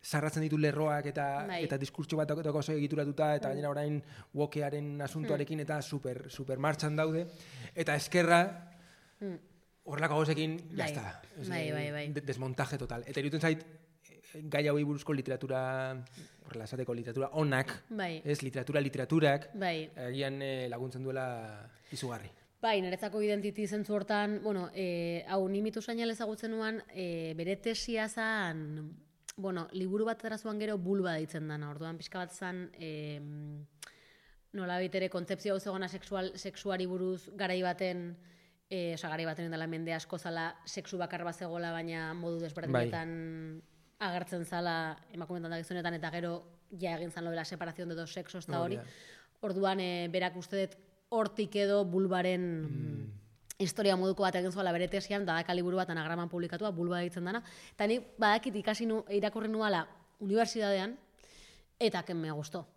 sarratzen ditu lerroak eta bai. eta diskurtso bat dago oso egituratuta, eta gainera orain wokearen asuntoarekin eta super, super martxan daude. Eta eskerra, horrelako gauzekin, bai. jazta. Bai, bai, bai. Desmontaje total. Eta iruditzen zait, gai hauei buruzko literatura, horrela esateko literatura onak, bai. ez literatura literaturak, bai. agian eh, laguntzen duela izugarri. Bai, niretzako identity zentzu hortan, bueno, eh, hau ni mitu sainal ezagutzen nuan, eh, bere tesia zan, bueno, liburu bat erazuan gero bulba deitzen dana, orduan pixka bat zan, eh, nola baitere kontzepzio hau zegona sexual, sexuari buruz garai baten, eh, oza, garai baten dela mende asko zala sexu bakar bat zegoela, baina modu desberdinetan bai. Agertzen zala emakumeetan da gizonetan, eta gero ja egin zan lo de la separación de dos sexos eta hori. Orduan, e, berak uste dut hortik edo bulbaren mm. historia moduko bat egin zuela bere tesian, dadaka liburu bat anagraman publikatua, bulba ditzen dana. Eta ni badakit ikasi nu, irakurri nuala unibertsitatean, eta ken me gustó.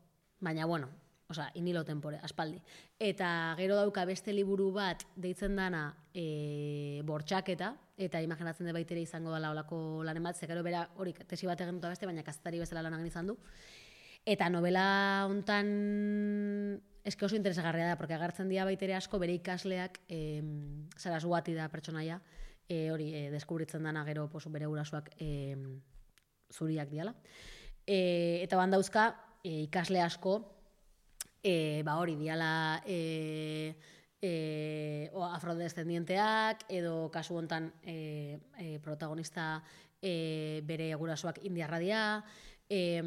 Baina, bueno, osea, inilo tempore, aspaldi. Eta gero dauka beste liburu bat deitzen dana e, bortxaketa, eta imaginatzen dut baitere izango dela olako lanen bat, ze gero bera hori tesi bat egin duta beste, baina kazetari bezala lan egin izan du. Eta novela hontan eske oso interesgarria da, porque agertzen dira baitere asko bere ikasleak, e, Saraswati da pertsonaia, e, hori e, deskubritzen dana gero posu bere gurasoak e, zuriak diala. E, eta bandauzka e, ikasle asko, e, ba hori diala e, e, o afrodescendienteak, edo kasu hontan e, e, protagonista e, bere gurasoak indiarra dira, e,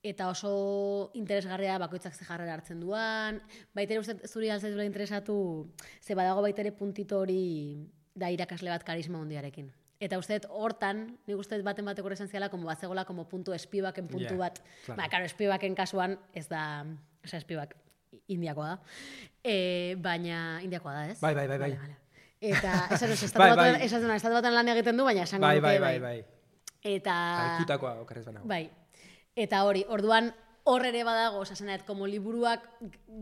eta oso interesgarria bakoitzak ze jarrera hartzen duan, baitere uste zuri alzaizula interesatu, ze badago baitere puntito hori da irakasle bat karisma hondiarekin. Eta uste hortan, nik uste baten bateko horrezan ziala, como bat zegoela, como puntu espibaken puntu yeah, bat. Claro. Ba, karo, espibaken kasuan ez da, eza espibak indiakoa da. E, baina, indiakoa da, ez? Bai, bai, bai, bai. Vale, vale. Eta, esan duz, estatu bai, bai. baten, estatu baten lan egiten du, baina esango bai, dute, bai, bai, bai. Eta... Kalkutakoa okarrez banago. Bai. Eta hori, orduan, hor ere badago, osasenet, como liburuak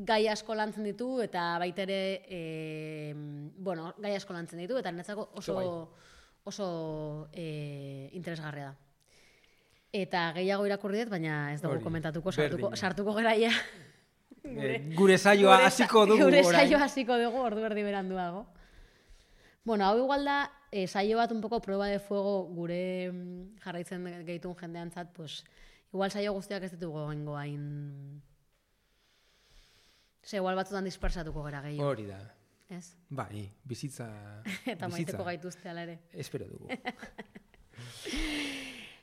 gai asko lantzen ditu, eta baitere, e, bueno, gai asko lantzen ditu, eta netzako oso... oso e, interesgarria da. Eta gehiago irakurri dut, baina ez dugu komentatuko, sartuko, sartuko geraia. Gure, gure saioa hasiko dugu. Gure saioa hasiko dugu, ordu erdi beranduago. Bueno, hau igual da, e, saio bat un poco prueba de fuego gure jarraitzen gehitun jendeantzat, pues, igual saio guztiak ez ditugu gengo hain... Ze, igual batzutan dispersatuko gara gehiago. Hori da. Ez? Bai, bizitza... Eta maiteko gaituzte ala ere. Espero dugu.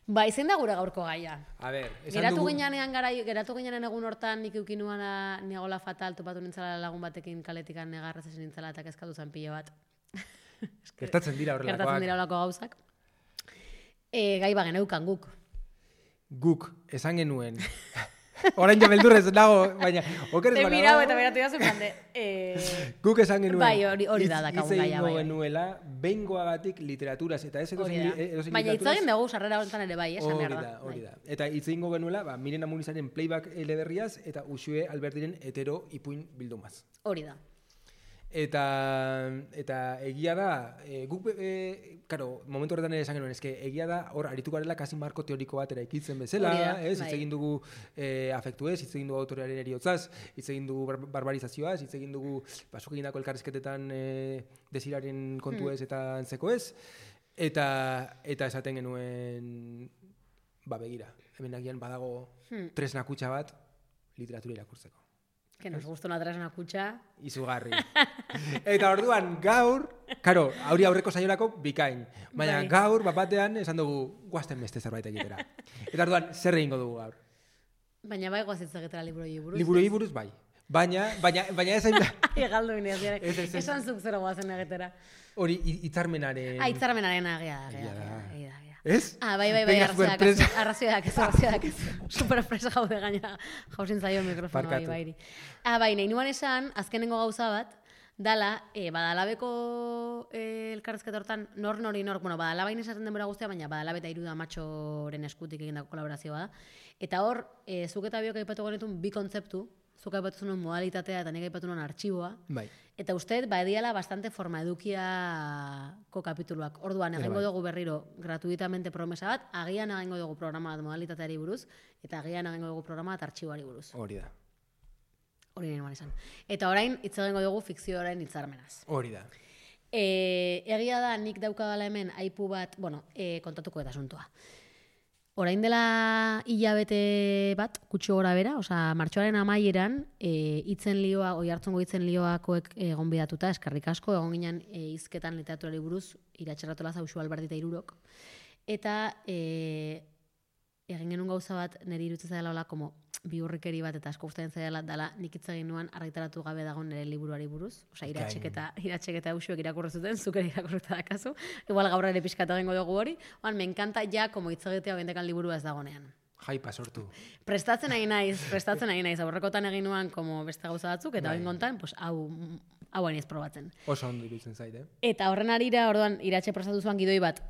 Ba, izen da gure gaurko gaia. A ber, esan geratu dugu... Ginean gara, geratu ginean egun hortan nik eukinuana negola fatal, topatu nintzala lagun batekin kaletikan negarraz esin nintzala eta kezkatu zen pilo bat. Gertatzen dira horrelakoak. Gertatzen dira horrelako gauzak. E, gai bagen eukan guk. Guk, esan genuen... Orain jo beldurrez nago, baina okerez banago. Te mirau eta beratu jazen plande. Eh... Guk esan genuen. Bai, hori, hori da dakagun gaia. Itze genuela, behingoagatik literaturaz, eta ez edo zen literaturaz. Baina itzagin dugu sarrera honetan ere bai, esan behar da. Hori da, hori da. Eta itze genuela, ba, Miren Amurizaren playback eleberriaz, eta Uxue Albertiren hetero ipuin bildumaz. Hori da. Eta, eta egia da, e, guk, e, karo, momentu horretan ere esan genuen, eske egia da, hor, arituko garela kasi marko teoriko bat eraikitzen bezala, ez, hitz egin dugu e, afektuez, hitz egin dugu autorearen eriotzaz, hitz egin dugu bar barbarizazioaz, hitz egin dugu basuk egindako elkarrizketetan e, desiraren kontuez hmm. eta antzekoez, eta, eta esaten genuen, ba begira, hemen agian badago hmm. tresna kutxa bat literatura irakurtzeko. Que nos gusta una tresna kutxa. Izugarri. Eta orduan gaur, karo, aurri aurreko saiorako bikain. Baina bai. Gaur, bapatean, esan dugu, guazten beste zerbait egitera. Eta orduan, zer egingo dugu gaur? Baina bai guazitza egitera liburoi buruz. Liburoi buruz, bai. Baina, baina, baina ez hain... Egaldu bineaz, esan zuk zero guazen egitera. Hori, hitzarmenaren... Ah, hitzarmenaren agia da, agia da. Ez? Ah, bai, bai, bai, Venga, arrazioak, superpresa. arrazioak, ez, arrazioak, ez. Superpresa jaude gaina, jausin zaio mikrofono bai, Barkatu. bairi. Ah, bai, nahi nuan esan, azkenengo gauza bat, dala, e, badalabeko e, elkarrezketa hortan, nor nori nor, bueno, badalabain esaten denbora guztia, baina badalabe eta iruda matxoren eskutik egindako kolaborazioa da. Eta hor, e, zuk eta biok aipatu genitun bi kontzeptu, zuk aipatu zuen modalitatea eta nik aipatu nuen artxiboa. Bai. Eta uste, ba, ediala bastante forma edukiako kapituluak. Orduan, egingo dugu berriro gratuitamente promesa bat, agian egingo dugu programa bat modalitateari buruz, eta agian egingo dugu programa bat artxiboari buruz. Hori da. Hori nahi izan. Eta orain, hitz egingo dugu fikzioaren hitzarmenaz. Hori da. E, egia da, nik daukadala hemen aipu bat, bueno, e, kontatuko eta asuntoa. Orain dela hilabete bat, kutxo gora bera, osea, martxoaren amaieran, e, itzen lioa, oi hartzongo itzen lioakoek egon bidatuta, eskarrik asko, egon ginen e, hizketan literaturari buruz, iratxerratola zauxu Alberti eta Irurok. Eta e, egin genuen gauza bat, niri irutzen zaila hola, como bihurrikeri bat eta asko gustatzen zaila dela, nik hitz egin nuen argitaratu gabe dago nire liburuari buruz. Osea, iratxeketa, iratxeketa hausuek irakurri zuten, zuk ere irakurrita dakazu. Igual gaur ere pixkatu egingo dugu hori. Oan, me encanta ja, como hitz egitea bendekan liburua ez dagonean. Jaipa sortu. Prestatzen nahi naiz, prestatzen nahi naiz. Aurrekotan egin nuen como beste gauza batzuk, eta egin gontan, pues, hau, hau hain ez probatzen. Oso ondo iruditzen zaite. Eta horren arira, orduan, iratxe prestatu zuan gidoi bat,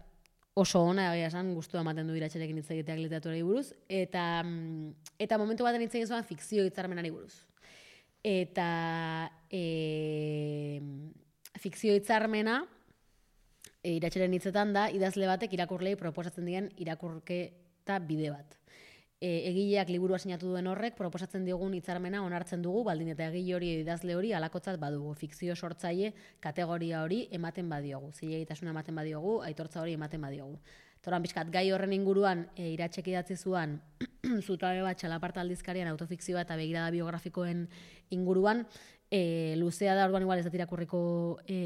oso ona, egia esan, gustua ematen du iratxerekin hitz egiteak literaturari buruz, eta, eta momentu baten hitz egin zuen fikzio hitzarmenari buruz. Eta e, fikzio hitzarmena, e, iratxeren hitzetan da, idazle batek irakurlei proposatzen dien irakurketa bide bat. E, egileak liburua sinatu duen horrek, proposatzen digun hitzarmena onartzen dugu, baldin eta egile hori idazle hori alakotzat badugu. Fikzio sortzaile kategoria hori ematen badiogu. Zilegitasuna ematen badiogu, aitortza hori ematen badiogu. Toran pixkat, gai horren inguruan, e, iratxek idatzi zuan, zutabe bat txalaparta aldizkarian autofikzioa eta begirada biografikoen inguruan, e, luzea da, orduan igual ez dut irakurriko, e,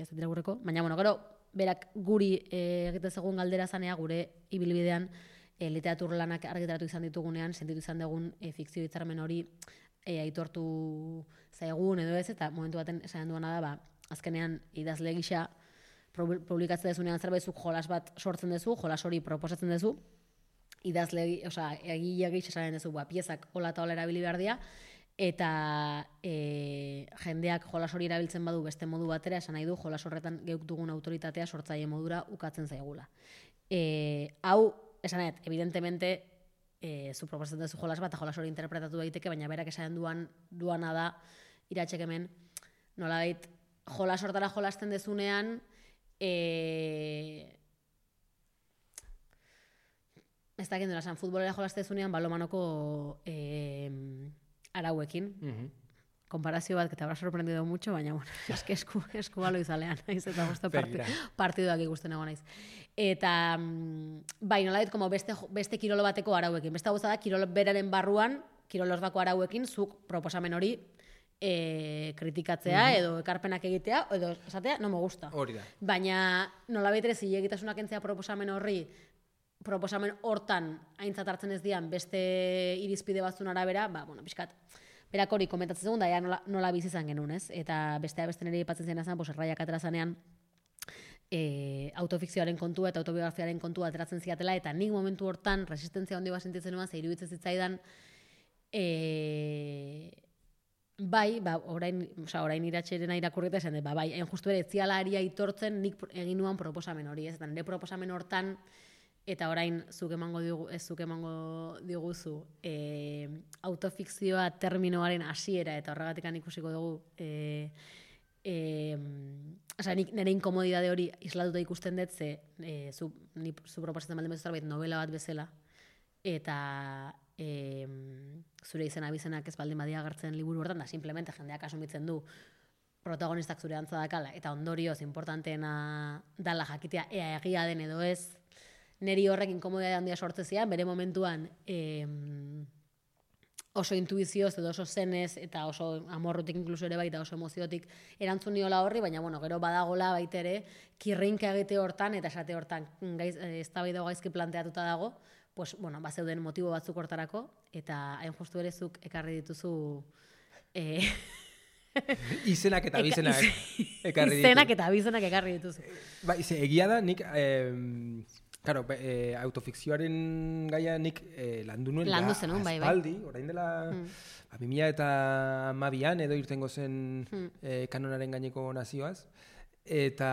ez dut irakurriko, baina, bueno, gero, berak guri e, egite segun galdera zanea, gure ibilbidean, E, literatur lanak argitaratu izan ditugunean, sentitu izan dugun e, fikzio hitzarmen hori e, aitortu zaigun edo ez, eta momentu baten esan duana da, ba, azkenean idazle gisa publikatzen dezunean zerbait zuk jolas bat sortzen dezu, jolas hori proposatzen dezu, idazle, osea, egile gisa esaten dezu, ba, piezak hola eta hola erabili behar dira, eta e, jendeak jolas hori erabiltzen badu beste modu batera, esan nahi du, jolas horretan geuk dugun autoritatea sortzaile modura ukatzen zaigula. E, hau, esanet, evidentemente, e, zu proposatzen duzu jolas bat, jolas hori interpretatu daiteke, baina berak esan duan, duana da, iratxek hemen, nolabait, jolas hortara jolasten dezunean, e, ez dakit nola esan, futbolera jolasten dezunean, balomanoko e, arauekin, mm-hmm. Konparazio bat, que te habrá sorprendido mucho, baina, bueno, eske esku, esku balo izalean, naiz, eta gustu partiduak ikusten egon naiz. Eta, bai, nolait, como beste, beste kirolo bateko arauekin. Beste gauza da, kirolo beraren barruan, kirolos bako arauekin, zuk proposamen hori e, kritikatzea, mm-hmm. edo ekarpenak egitea, edo esatea, no me gusta. Hori da. Baina, nolabait ere, zilegitasunak entzea proposamen horri, proposamen hortan aintzat hartzen ez dian, beste irizpide batzun arabera, ba, bueno, pixkat, berak hori komentatzen zegoen, da ja nola, nola bizi izan genuen, ez? Eta bestea beste nire ipatzen zen azan, pues, erraiak atera zanean, e, autofikzioaren kontua eta autobiografiaren kontua ateratzen ziatela, eta nik momentu hortan resistentzia handi bat sentitzen nuen, ze iruditzen zitzaidan, e, bai, ba, orain, oza, orain iratxerena irakurrita esan dut, ba, bai, hain justu ere, etziala ari aitortzen nik egin nuan proposamen hori, ez? Eta nire proposamen hortan, eta orain zuk emango digu, ez zuk emango diguzu e, autofikzioa terminoaren hasiera eta horregatik ikusiko dugu e, e, oza, nik nire inkomodidade hori islatuta ikusten dut ze e, zu, ni, zu proposatzen baldin bezu zerbait novela bat bezala eta e, zure izena bizenak ez baldin badia agertzen liburu hortan da simplemente jendeak asumitzen du protagonistak zure antza dakala eta ondorioz importanteena dala jakitea ea egia den edo ez. Neri horrek inkomodia handia sortzezian, bere momentuan eh, oso intuizioz edo oso zenez eta oso amorrutik inkluso ere baita oso emoziotik erantzun niola horri, baina bueno, gero badagola baita ere kirrinka egite hortan eta esate hortan gaiz, eztabaida gaizki planteatuta dago, pues, bueno, ba zeuden motibo batzuk hortarako eta hain justu ere zuk ekarri dituzu eh, izenak eta bizenak ekarri dituzu. Izenak eta bizenak ekarri dituzu. Ba, egia da, nik... Eh, Claro, e, autofikzioaren gaia nik e, landu nuen landu zenun, bai, bai. Aspaldi, orain dela mm. ba, bi mila eta hamabian edo irtengo zen mm. e, kanonaren gaineko nazioaz. Eta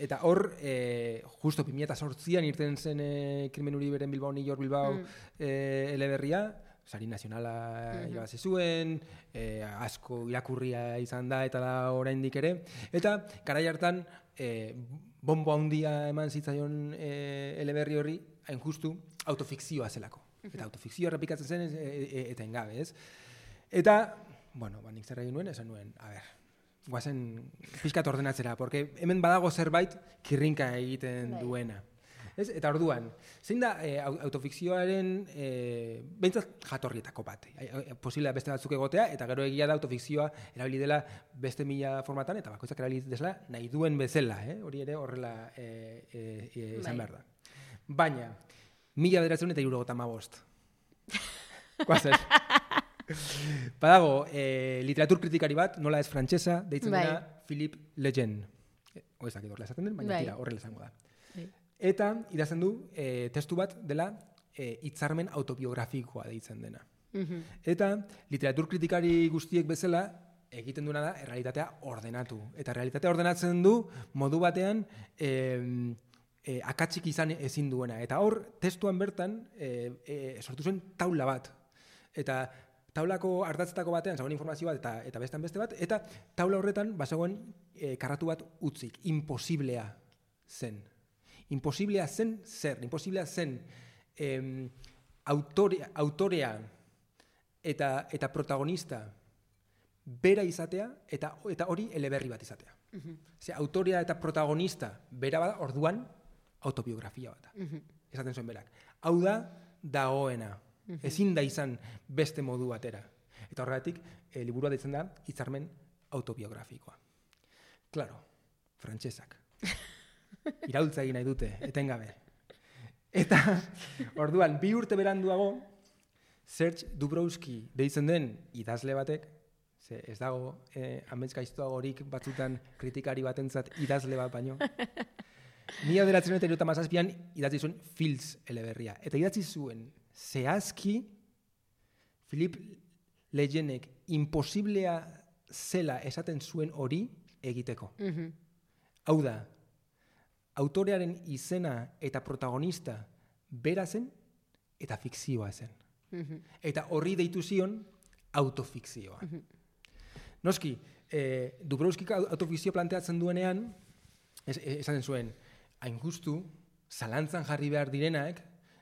eta hor, e, justo bi mila eta zortzian irten zen e, Krimen Uriberen Bilbao, New York Bilbao mm. e, eleberria, sari nazionala mm-hmm. irabazi zuen, e, asko irakurria izan da eta da oraindik ere. Eta garai hartan e, bombo handia eman zitzaion e, eleberri horri, hain justu, autofikzioa zelako. Eta autofikzioa errepikatzen zen e, e, eta engabe, ez? Eta, bueno, ba, nik zer egin nuen, esan nuen, a ber, guazen pixkat ordenatzera, porque hemen badago zerbait kirrinka egiten Dai. duena. Ez? Eta orduan, zein da e, autofikzioaren e, behintzat jatorrietako bat. E, Posiblea beste batzuk egotea, eta gero egia da autofikzioa erabili dela beste mila formatan, eta bakoitzak erabili desela nahi duen bezala, eh? Hori ere horrela e, e, e, izan behar da. Baina, mila bederatzen eta hirurogeita hamabost. Guazen. Badago, e, literatur kritikari bat, nola ez frantsesa, deitzen dena Philippe Lejeune. Oizak idorla esaten den, baina bai. tira, horrela izango da. Bai. Eta idazten du e, testu bat dela e, hitzarmen autobiografikoa deitzen dena. Mm-hmm. Eta literatur kritikari guztiek bezala egiten duena da errealitatea ordenatu. Eta errealitatea ordenatzen du modu batean e, e, akatsik izan ezin duena. Eta hor testuan bertan e, e, sortu zen taula bat. Eta taulako ardatzetako batean zegoen informazio bat eta, eta bestean beste bat. Eta taula horretan bazegoen e, karratu bat utzik. Imposiblea zen. Imposiblea zen zer, imposiblea zen em, autorea, autorea eta, eta protagonista bera izatea eta, eta hori eleberri bat izatea. Uh-huh. Ze, autorea eta protagonista bera bada orduan autobiografia bat. Uh-huh. Esaten zuen berak. Hau da dagoena. Uh-huh. Ezin da izan beste modu batera. Eta horregatik, e, liburua deitzen da hitzarmen autobiografikoa. Claro, frantsesak. Iraultza egin nahi dute, etengabe. Eta, orduan, bi urte beranduago, Serge Dubrowski deitzen den idazle batek, ze ez dago eh, amets gaiztoagorik batzutan kritikari batentzat idazle bat baino, mila bederatziehun eta hirurogeita hamazazpian idatzi zuen Fields eleberria. Eta idatzi zuen zehazki Philippe Lejeunek imposiblea zela esaten zuen hori egiteko. Mm-hmm. Hau da, autorearen izena eta protagonista bera zen eta fikzioa zen. Mm-hmm. Eta horri deitu zion autofikzioa. Mm-hmm. Noski, eh, Dubrowskik autofikzio planteatzen duenean, es, esaten zuen, hain justu, zalantzan jarri behar direnak,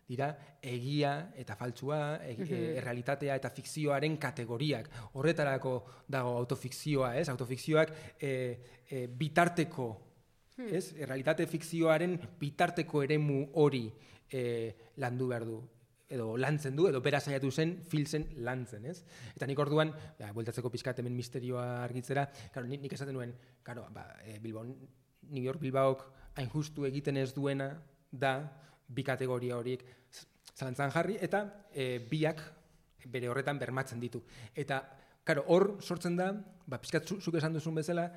dira egia eta faltsua, e, mm-hmm. e, errealitatea eta fikzioaren kategoriak. Horretarako dago autofikzioa, ez? Autofikzioak e, e, bitarteko Ez? Errealitate fikzioaren bitarteko eremu hori e, landu behar du, edo lantzen du, edo bera saiatu zen, filzen lantzen, ez? Eta nik orduan, ja, bueltatzeko pixkat hemen misterioa argitzera, claro, nik, nik esaten nuen, claro, ba, e, Bilbao, New York Bilbaok hain justu egiten ez duena da bi kategoria horiek zalantzan jarri, eta e, biak bere horretan bermatzen ditu. Eta, claro, hor sortzen da, ba, pixkat zuk esan duzun bezala,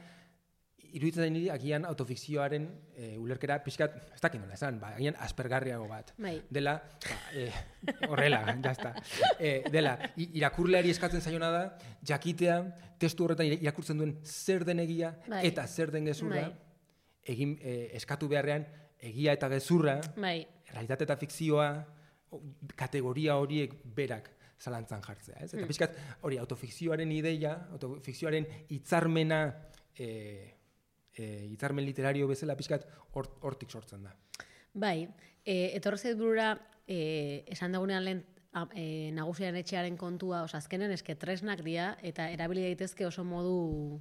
iruditzen niri agian autofikzioaren e, ulerkera pixkat, ez dakit nola esan, ba, agian aspergarriago bat. Bai. Dela, ba, e, horrela, jazta. E, dela, irakurleari eskatzen zaiona da, jakitea, testu horretan irakurtzen duen zer den egia bai. Eta zer den gezurra, bai. Egin e, eskatu beharrean, egia eta gezurra, bai. Realitate eta fikzioa, kategoria horiek berak zalantzan jartzea. Ez? Eta pixkat, hori, autofikzioaren ideia, autofikzioaren hitzarmena, e, E, hitzarmen literario bezala pixkat hortik sortzen da. Bai, e, etorri zait burura e, esan dagunean lehen e, nagusiaren etxearen kontua, oza, azkenen eske tresnak dira eta erabili daitezke oso modu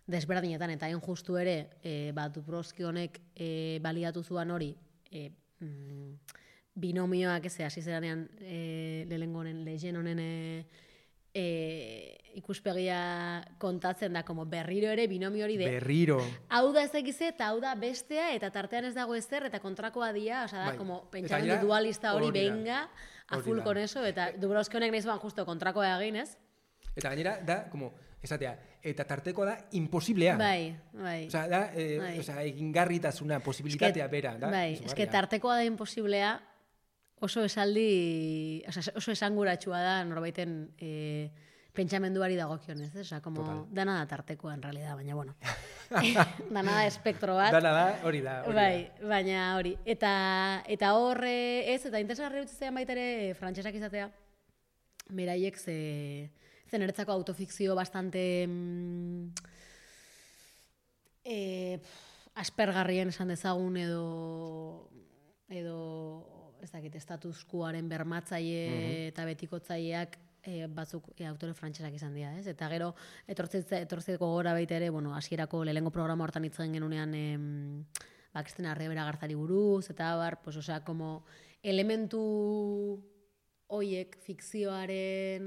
desberdinetan eta hain justu ere e, bat Dubrowski honek e, baliatu zuan hori e, mm, binomioak ez hasi zeranean e, lehengo honen, Lejeune honen e, E, ikuspegia kontatzen da, como berriro ere binomio hori de... Berriro. Hau da ez egize eta hau da bestea eta tartean ez dago ezer eta kontrakoa dia, oza da, bai. Como pentsamendu dualista hori benga, a full con eso, eta Dubrowski honek nahi zuan justo kontrakoa egin, ez? Eta gainera, da, como, esatea, eta tarteko da imposiblea. Bai, bai. Osea, da, e, bai. osea, egingarritasuna, posibilitatea bera, da? Bai, eske tartekoa da imposiblea, oso esaldi, osea, oso esanguratsua da norbaiten eh, pentsamenduari dagokionez, eh? Osea, como Total. Dana da tartekoa en realidad, baina bueno. Dana da espektro bat. Dana da, hori da, hori bai, da. Baina hori. Eta, eta horre, ez, eta interesgarri utzitzen baita ere frantsesak izatea, beraiek ze, ze niretzako autofikzio bastante mm, eh, aspergarrien esan dezagun edo edo ez dakit, status quoaren bermatzaile mm-hmm. eta betikotzaileak e, batzuk e, autore frantsesak izan dira, ez? Eta gero etortzeko gora baita ere, bueno, hasierako lehengo programa hortan hitz egin genunean em, ba, Kristina Arribera Garzari buruz eta bar, pues osea, como elementu hoiek fikzioaren,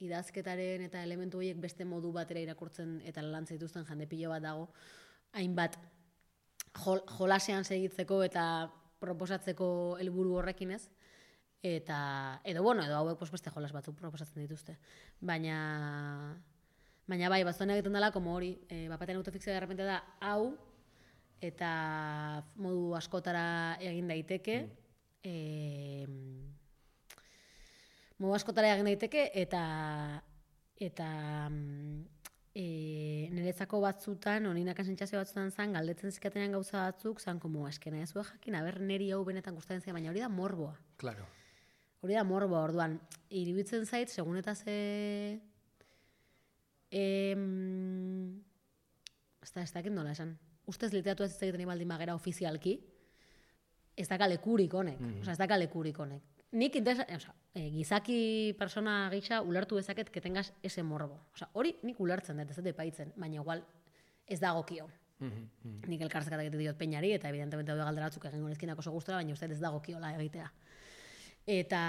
idazketaren eta elementu hoiek beste modu batera irakurtzen eta lantzen dituzten jende pilo bat dago, hainbat jol, jolasean segitzeko eta proposatzeko helburu horrekin ez, eta, edo bueno, edo hauek pues, beste jolas batzuk proposatzen dituzte. Baina, baina bai, batzuetan egiten dela, como hori, e, bapatean autofikzioa de repente da, hau, eta modu askotara egin daiteke, mm. e, modu askotara egin daiteke, eta, eta e, niretzako batzutan, oninakan sentsazio batzutan zan, galdetzen zikatenean gauza batzuk, zan, como, eskena ez jakin, aber neri hau benetan gustatzen zia, baina hori da morboa. Claro. Hori da morboa, orduan, iruditzen zait, segun eta ze... Em, ez da, ez dakit nola esan. Ustez literatua ez egiten ibaldin magera ofizialki, ez da kalekurik honek. Mm-hmm. Osa, ez da kalekurik honek. Nik interesa, o sea, e, gizaki persona gisa ulertu dezaket que tengas ese morbo. O sea, hori nik ulertzen dut, ez dut epaitzen, baina igual ez dagokio. Mm-hmm. Nik elkartzekat egite diot peinari, eta evidentemente hau galdera batzuk egin gonezkinak oso gustora, baina uste ez dagokiola egitea. Eta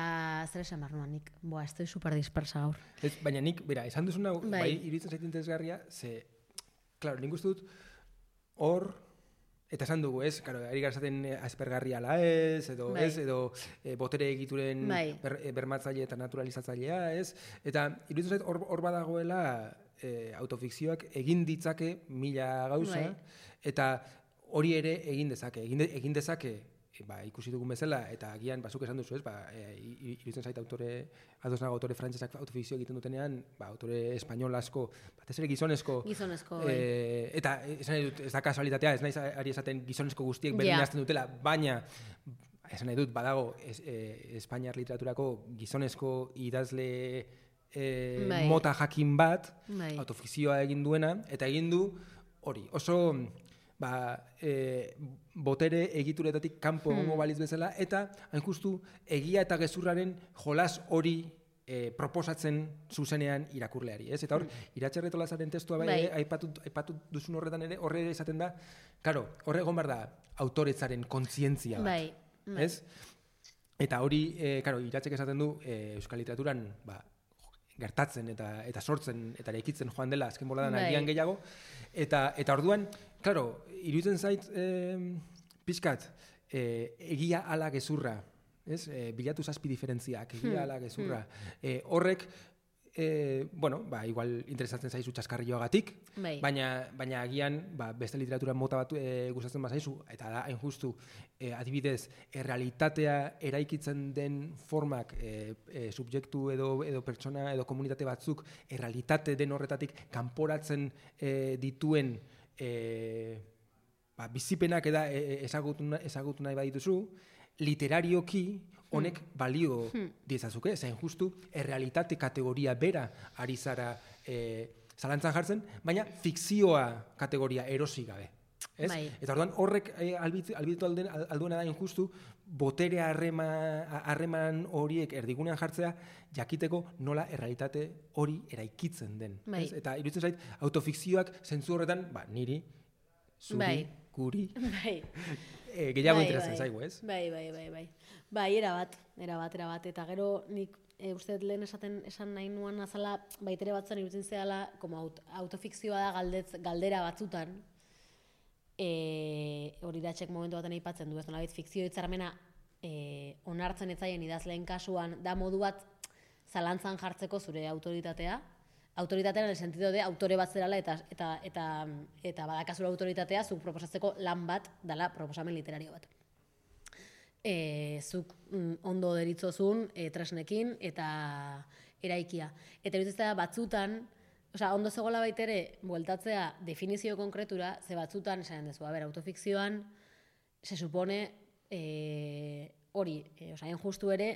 zer esan behar nuan nik, boa, estoy super dispersa gaur. Ez, baina nik, bera, esan duzuna, bai, bai iruditzen zait interesgarria, ze, klaro, nik uste dut, hor, eta esan dugu, ez, claro, ari garzaten aspergarria ala ez, edo, bai. ez, edo e, botere egituren bai. ber, bermatzaile eta naturalizatzailea, ez, eta iruditzen zait hor, hor badagoela e, autofikzioak egin ditzake mila gauza, bai. eta hori ere egin dezake, egin, de, egin dezake, ba, ikusi dugun bezala, eta agian bazuk esan duzu, ez, ba, e, iruditzen zait autore, adosnago autore frantsesak autofikzio egiten dutenean, ba, autore espainol asko, batez ere gizonezko, gizonezko e, eta esan nahi dut, ez da kasualitatea, ez naiz ari esaten gizonezko guztiek berdin yeah. azten dutela, baina, esan nahi dut, badago, es, e, Espainiar literaturako gizonezko idazle e, bai. mota jakin bat, bai. autofikzioa egin duena, eta egin du, hori, oso... ba, e, botere egituretatik kanpo egongo hmm. baliz bezala, eta hain justu egia eta gezurraren jolas hori e, proposatzen zuzenean irakurleari. Ez? Eta hor, hmm. Iratxe Retolazaren testua bai, bai. aipatu, aipatu duzun horretan ere, horre esaten da, karo, horre egon behar da autoretzaren kontzientzia bat. Bai. Bai. Ez? Eta hori, e, karo, Iratxek esaten du, e, euskal literaturan, ba, gertatzen eta eta sortzen eta eraikitzen joan dela azken boladan bai. agian gehiago, eta, eta orduan, claro, iruditzen zait eh, pixkat, eh, egia ala gezurra, ez? Eh, bilatu zazpi diferentziak, egia hmm. ala gezurra. Hmm. Eh, horrek, eh, bueno, ba, igual interesatzen zaizu txaskarrioagatik, bai. baina, baina agian ba, beste literatura mota bat eh, gustatzen bazaizu, eta da, hain justu, eh, adibidez, errealitatea eraikitzen den formak eh, eh, subjektu edo, edo pertsona edo komunitate batzuk errealitate den horretatik kanporatzen eh, dituen E, ba, bizipenak eda ezagutu, ezagutu nahi badituzu, literarioki honek hmm. balio hmm. diezazuke, zain justu errealitate kategoria bera ari zara e, zalantzan jartzen, baina fikzioa kategoria erosi gabe. Ez? Bai. Eta orduan horrek e, albitu alduena da injustu, botere harreman horiek erdigunean jartzea, jakiteko nola errealitate hori eraikitzen den. Bai. Eta iruditzen zait, autofikzioak zentzu horretan, ba, niri, zuri, bai. guri, bai. e, gehiago bai, interesan bai. zaigu, ez? Bai, bai, bai, bai. Bai, erabat, erabat, erabat. Eta gero nik e, uste lehen esaten esan nahi nuan azala, baitere batzan iruditzen zehala, como aut, autofikzioa da galdetz, galdera batzutan, E, hori datxek momentu baten aipatzen du, ez nolabait fikzio hitzarmena e, onartzen etzaien idazleen kasuan da modu bat zalantzan jartzeko zure autoritatea, autoritatea en el sentido de autore bat zerala eta, eta, eta, eta badakazula autoritatea zuk proposatzeko lan bat dala proposamen literario bat. E, zuk mm, ondo deritzozun e, tresnekin eta eraikia. Eta iruditzen da batzutan, osea, ondo zegoela baitere, bueltatzea definizio konkretura, ze batzutan, esan dezu, a ber, autofikzioan, se supone, e, hori, e, osea, justu ere,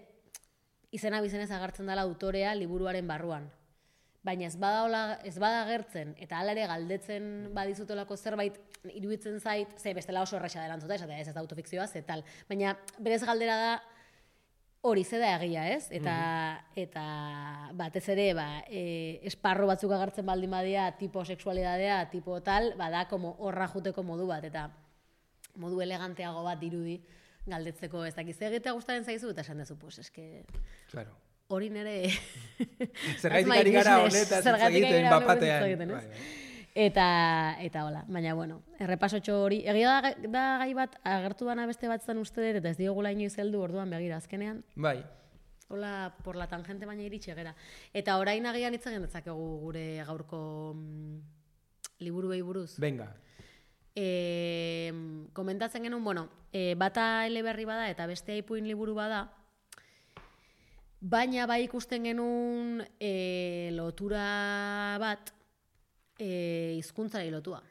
izena bizenez agertzen dela autorea liburuaren barruan. Baina ez bada, hola, ez bada agertzen, eta hala ere galdetzen badizutelako zerbait, iruditzen zait, ze bestela oso erresa delantzuta, esatea ez ez da autofikzioa, ze tal. Baina berez galdera da, hori ze da egia, ez? Eta, mm-hmm. eta batez ere, ba, e, esparro batzuk agertzen baldin badia, tipo sexualidadea, tipo tal, bada, como horra juteko modu bat, eta modu eleganteago bat dirudi galdetzeko ez dakiz egitea gustaren zaizu, eta esan dezu, pues, eske... Claro. Hori nere... Zergaitik ari gara honetaz hitz egiten bapatean. Eta, eta hola, baina bueno, errepasotxo hori, egia da, da gai bat, agertu dana beste bat zan uste dut, eta ez diogula inoiz heldu orduan begira, azkenean. Bai. Hola, por la tangente baina iritsi gera. Eta orain agian hitz egin dezakegu gure gaurko mm, liburuei buruz. Venga. E, komentatzen genuen, bueno, e, bata eleberri bada eta beste ipuin liburu bada, baina bai ikusten genuen e, lotura bat e, hizkuntzari lotua.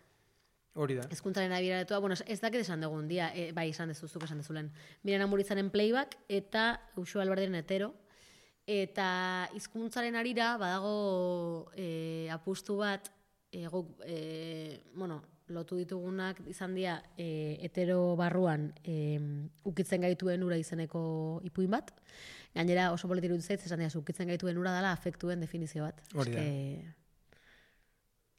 Hori da. Hizkuntzaren abira lotua, bueno, ez dakit esan dugun dia, e, bai esan dezuzuk esan dezulen. Miren Amuritzaren Playback eta Uxu Alberdiren Hetero. Eta hizkuntzaren arira badago e, apustu bat, e, guk, e, bueno, lotu ditugunak izan dira e, hetero barruan e, ukitzen gaituen ura izeneko ipuin bat. Gainera oso politiru dut zait, esan dira, ukitzen gaituen ura dela afektuen definizio bat. Hori da.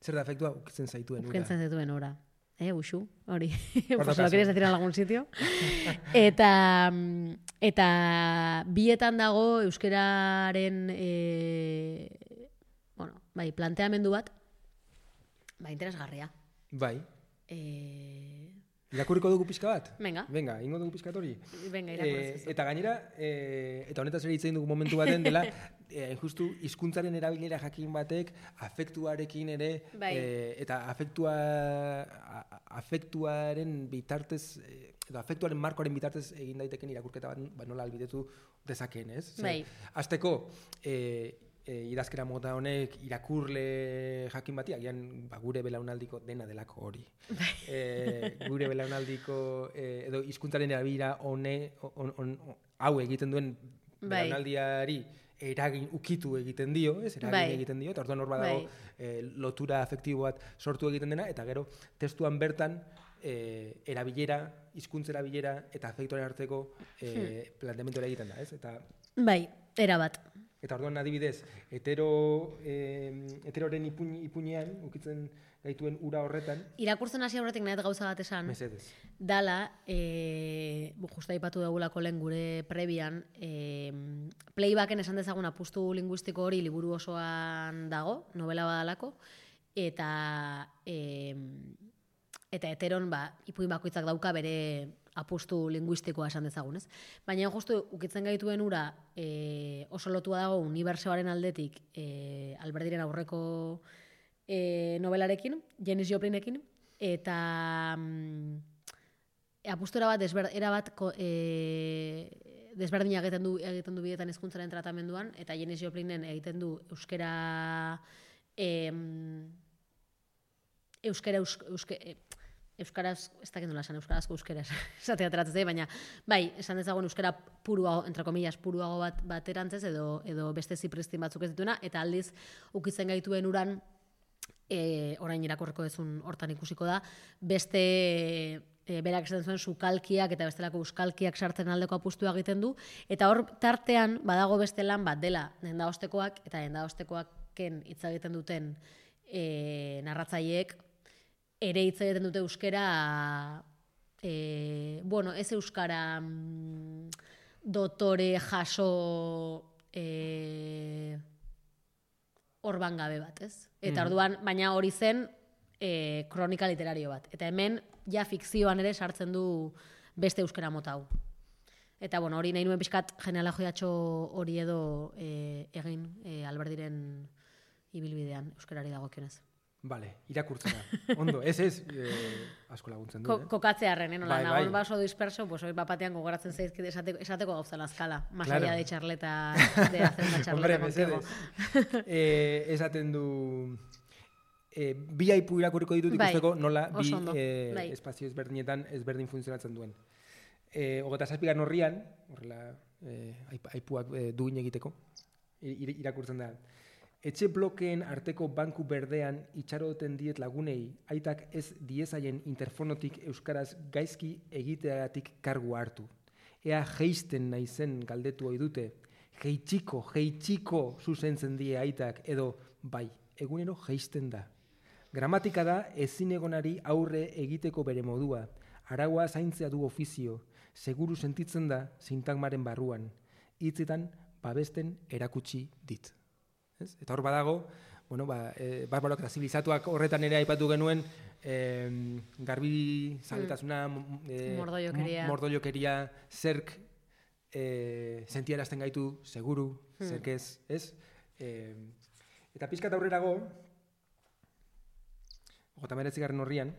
Zer da afektua ukitzen zaituen ura? Ukitzen zaituen ura. Eh, Uxu, hori. Pues lo quieres decir en algún sitio. eta, eta bietan dago euskeraren e, bueno, bai, planteamendu bat, ba, interesgarria. Bai. Eh... Irakurriko dugu pixka bat? Venga. Venga, ingo dugu pixka hori. Venga, irakurrez. E, eta gainera, e, eta honetaz ere hitz egin dugu momentu baten dela, e, justu hizkuntzaren erabilera jakin batek afektuarekin ere, bai. e, eta afektua, a, afektuaren bitartez, edo afektuaren markoaren bitartez egin daiteken irakurketa bat, ba, nola albidetu dezakeen, ez? Bai. Azteko, e, E, idazkera mota honek irakurle jakin bati, agian ba, gure belaunaldiko dena delako hori. e, gure belaunaldiko e, edo hizkuntzaren erabilera hone on, on, on, hau egiten duen belaunaldiari eragin ukitu egiten dio, ez? Eragin bai. egiten dio, eta orduan hor badago bai. e, lotura afektibo bat sortu egiten dena, eta gero testuan bertan e, erabilera, hizkuntza erabilera eta afektuaren arteko e, hmm. planteamendu egiten da, ez? Eta bai, era bat. Eta orduan adibidez, hetero, eh, heteroren ipuin, ipuinean, ukitzen gaituen ura horretan. Irakurtzen hasi aurretik nahet gauza bat esan. Mesedez. Dala, e, justa ipatu dugulako lehen gure prebian, e, Playbacken esan dezagun apustu linguistiko hori liburu osoan dago, novela badalako, eta e, eta heteron ba, ipuin bakoitzak dauka bere apustu linguistikoa esan dezagun, ez? Baina justu ukitzen gaituen ura e, oso lotua dago unibertsoaren aldetik e, Alberdiren aurreko e, novelarekin, Janis Joplinekin, eta mm, apustura bat, desber, era bat e, desberdina egiten du, egiten du bidetan hizkuntzaren tratamenduan, eta Janis Joplinen egiten du euskera e, euskera euskera, euskera euskaraz, ez dakit nola esan, euskarazko euskeraz, esatea teratzez, baina, bai, esan dezagun euskara puruago, entre comillas, puruago bat, bat erantzez, edo, edo beste zipristin batzuk ez dituena, eta aldiz, ukitzen gaituen uran, e, orain irakorreko ezun hortan ikusiko da, beste, e, berak esaten zuen, sukalkiak eta bestelako euskalkiak sartzen aldeko apustua egiten du, eta hor tartean, badago beste lan bat dela, denda ostekoak, eta denda ostekoaken hitz egiten duten e, narratzaileek, ere hitz egiten dute euskara, e, bueno, ez euskara mm, dotore jaso e, orban gabe bat, ez? Eta orduan, baina hori zen e, kronika literario bat. Eta hemen, ja fikzioan ere sartzen du beste euskara mota hau. Eta, bueno, hori nahi nuen pixkat genealogiatxo hori edo e, egin e, Alberdiren ibilbidean, euskarari dagokionez. Vale, irakurtzera. Ondo, ez ez, eh, asko laguntzen du. Ko, eh? Kokatzearen, eh? Nola, bai, nagon bai. baso disperso, pues hoi bapatean gogoratzen zaizkit esateko, esateko gauza lazkala. Más claro. allá de charleta, de hacer una charleta contigo. eh, esaten du... Eh, bi aipu irakurriko ditut ikusteko nola bi eh, bai. espazio ezberdinetan ezberdin funtzionatzen duen. Eh, Ogeta zazpigarren horrian, horrela eh, aipuak eh, duin egiteko, ir, irakurtzen da. Etxe blokeen arteko banku berdean itxaroten diet lagunei, aitak ez diezaien interfonotik euskaraz gaizki egiteagatik kargu hartu. Ea geisten naizen galdetu ohi dute, geitxiko, geitxiko zuzentzen die aitak, edo bai, egunero geisten da. Gramatika da ezinegonari aurre egiteko bere modua, araua zaintzea du ofizio, seguru sentitzen da sintagmaren barruan, hitzetan babesten erakutsi dit. Ez? Eta hor badago, bueno, ba, e, barbarok eta zibilizatuak horretan ere aipatu genuen, e, garbi zaletasuna, e, mordoiokeria. mordoiokeria, zerk e, sentiarazten gaitu, seguru, hmm. zerk ez, ez? E, eta pizkat aurrerago, gota meretzigarren horrian,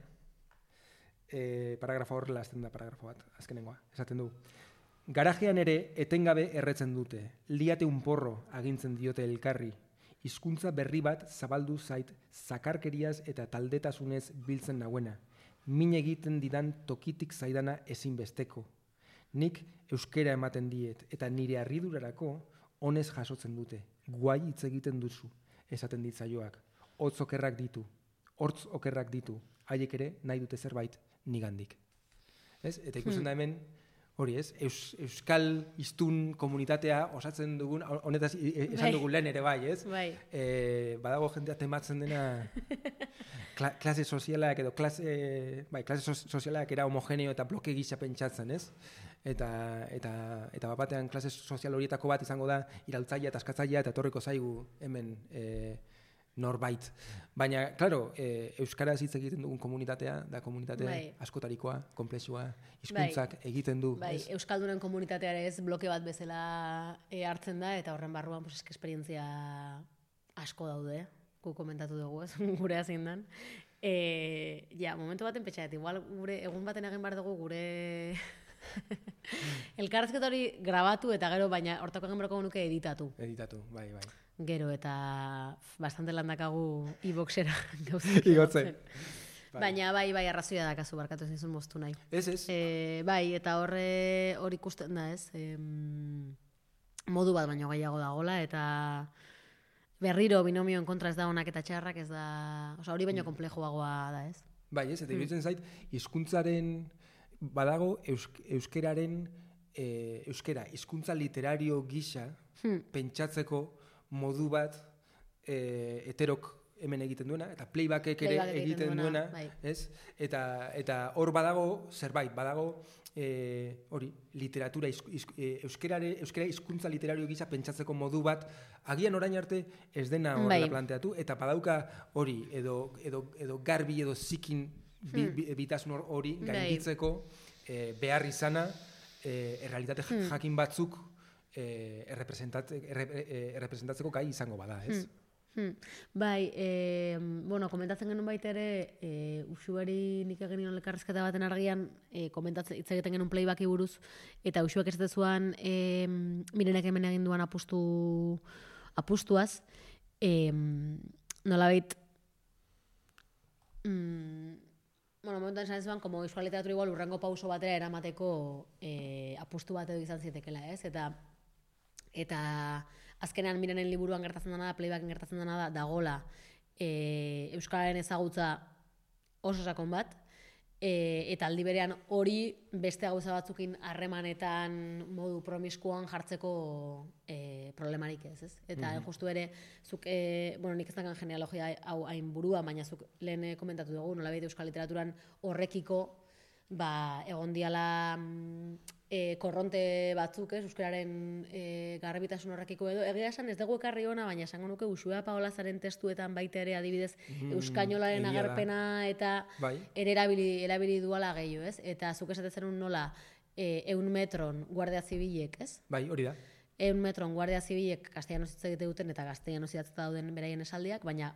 e, paragrafo horrela azten da paragrafo bat, azkenengoa, esaten du. Garajean ere etengabe erretzen dute, liate un porro agintzen diote elkarri, hizkuntza berri bat zabaldu zait zakarkeriaz eta taldetasunez biltzen naguena. Min egiten didan tokitik zaidana ezinbesteko. Nik euskera ematen diet eta nire harridurarako honez jasotzen dute. Guai hitz egiten duzu, esaten ditzaioak. Hotz okerrak ditu, hortz okerrak ditu, haiek ere nahi dute zerbait nigandik. Ez? Eta ikusten da hemen, hori ez, Eus, euskal hiztun komunitatea osatzen dugun, honetaz esan dugun lehen ere bai, ez? Bai. E, badago jendea tematzen dena kla, klase sozialak edo klase, bai, klase sozialak era homogeneo eta bloke gisa pentsatzen, ez? Eta, eta, eta bapatean klase sozial horietako bat izango da iraltzailea eta askatzailea eta etorriko zaigu hemen e, norbait. Baina, claro, e, euskaraz hitz egiten dugun komunitatea, da komunitatea bai. Askotarikoa, komplexua, hizkuntzak bai. Egiten du. Bai, ez? Euskaldunen komunitatea ere ez bloke bat bezala e, hartzen da, eta horren barruan pues, eske esperientzia asko daude, gu komentatu dugu, ez, gure hazin dan. E, ja, momentu baten petxaet, igual gure, egun baten egin behar dugu gure elkarrezketa hori grabatu eta gero, baina hortako egin berako nuke editatu. Editatu, bai, bai. Gero eta bastante landakagu e-boxera gauzak. Igotzen. Baina bai, bai, arrazoia dakazu barkatu ez nizun moztu nahi. Ez, ez. E, bai, eta horre hori ikusten da ez, e, modu bat baino gehiago dagola, eta berriro binomioen kontra ez da onak eta txarrak ez da, oza, hori baino komplejoagoa da ez. Bai, ez, eta iruditzen zait, hizkuntzaren badago eusk, euskeraren, e, euskera, hizkuntza literario gisa hmm. pentsatzeko modu bat e, heterok hemen egiten duena, eta playbackek ere Playback egiten, egiten duena, bai. ez? Eta eta hor badago zerbait, badago e, hori, literatura, iz, iz, e, euskerare, euskera hizkuntza literario gisa pentsatzeko modu bat, agian orain arte ez dena horrela bai. Planteatu, eta badauka hori, edo, edo, edo garbi edo zikin bi, bi, bitasun hori gainditzeko e, behar izana e, errealitate hmm. jakin batzuk Eh, errepresentatzeko gai izango bada, ez? Hmm. Hmm. Bai, eh, bueno, komentatzen genuen baita ere, eh, usuari nik egin nion elkarrezketa baten argian, eh, komentatzen hitz egiten genuen playbacki buruz, eta usuak ez dezuan, eh, mirenek hemen egin duan apustu, apustuaz, eh, nolabait, mm, bueno, momentuan esan zuan, como euskal literatura igual urrengo pauso batera eramateko eh, apustu bat edo izan zietekela, ez? Eta Eta azkenean mirenen liburuan gertatzen dena da, playbacken gertatzen dena da, dagola e, euskararen ezagutza oso sakon bat, e, eta aldi berean hori beste gauza batzukin harremanetan modu promiskuan jartzeko e, problemarik ez, ez? Eta mm-hmm. justu ere, zuk, e, bueno, nik ez dakan genealogia hau hain burua, baina zuk lehen komentatu dugu, nolabait euskal literaturan horrekiko, ba, egon diala e, korronte batzuk, ez, euskararen e, garbitasun horrekiko edo. Egia esan ez dugu ekarri ona, baina esango nuke Uxue Paolazaren testuetan baita ere adibidez mm, euskainolaren agerpena eta bai. Ere erabili, erabili duala gehiago, ez? Eta zuk esaten zenun nola e, eun metron guardia zibilek, ez? Bai, hori da. eun metron guardia zibilek castellanoz hitz egite duten eta castellanoz idatzita dauden beraien esaldiak, baina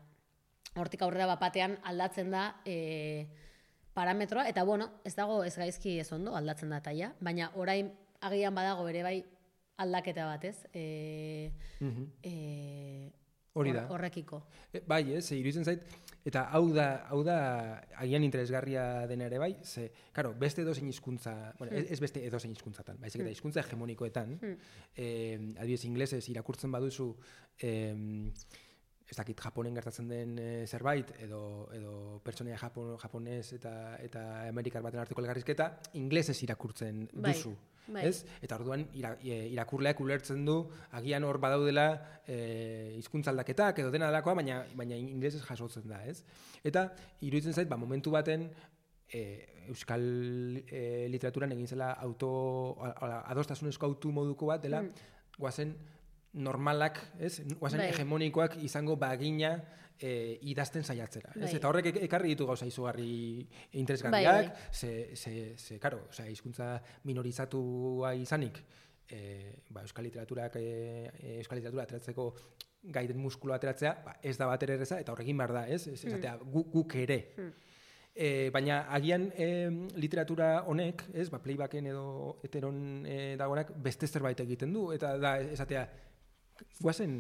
hortik aurrera bapatean aldatzen da e, parametroa, eta bueno, ez dago ez gaizki ez ondo aldatzen da taia, baina orain agian badago ere bai aldaketa bat, ez? E, Mhm. e, Hori da. Horrekiko. E, bai, ez, iruditzen zait, eta hau da, hau da agian interesgarria dena ere bai, ze, karo, beste edozein hizkuntza, bueno, ez, ez beste edozein hizkuntzatan, baizik eta hizkuntza hegemonikoetan, eh, adibidez inglesez irakurtzen baduzu, eh, ez dakit Japonen gertatzen den e, zerbait, edo, edo pertsonaia Japon, japonez eta, eta amerikar baten arteko elkarrizketa, inglesez irakurtzen duzu. Bai. Ez? Eta orduan ira, irakurleak ulertzen du agian hor badaudela eh, hizkuntza aldaketak edo dena delakoa, baina baina ingelesez jasotzen da, ez? Eta iruditzen zait, ba, momentu baten eh, euskal eh, literaturan egin zela auto adostasunezko autu moduko bat dela, mm. guazen normalak, ez? Guazen bai. hegemonikoak izango bagina E, idazten saiatzera. Ez? Bai. Eta horrek ekarri ditu gauza izugarri interesgarriak, bai, bai. ze, ze, ze, karo, osea, hizkuntza minorizatua izanik, e, ba, euskal literaturak, e, euskal literatura ateratzeko gaiden muskulu ateratzea, ba, ez da bat ere erreza, eta horrekin behar da, ez? Ez esatea, gu, guk ere. Hmm. E, baina agian e, literatura honek, ez, ba, playbacken edo heteron e, dagoenak beste zerbait egiten du, eta da, esatea, guazen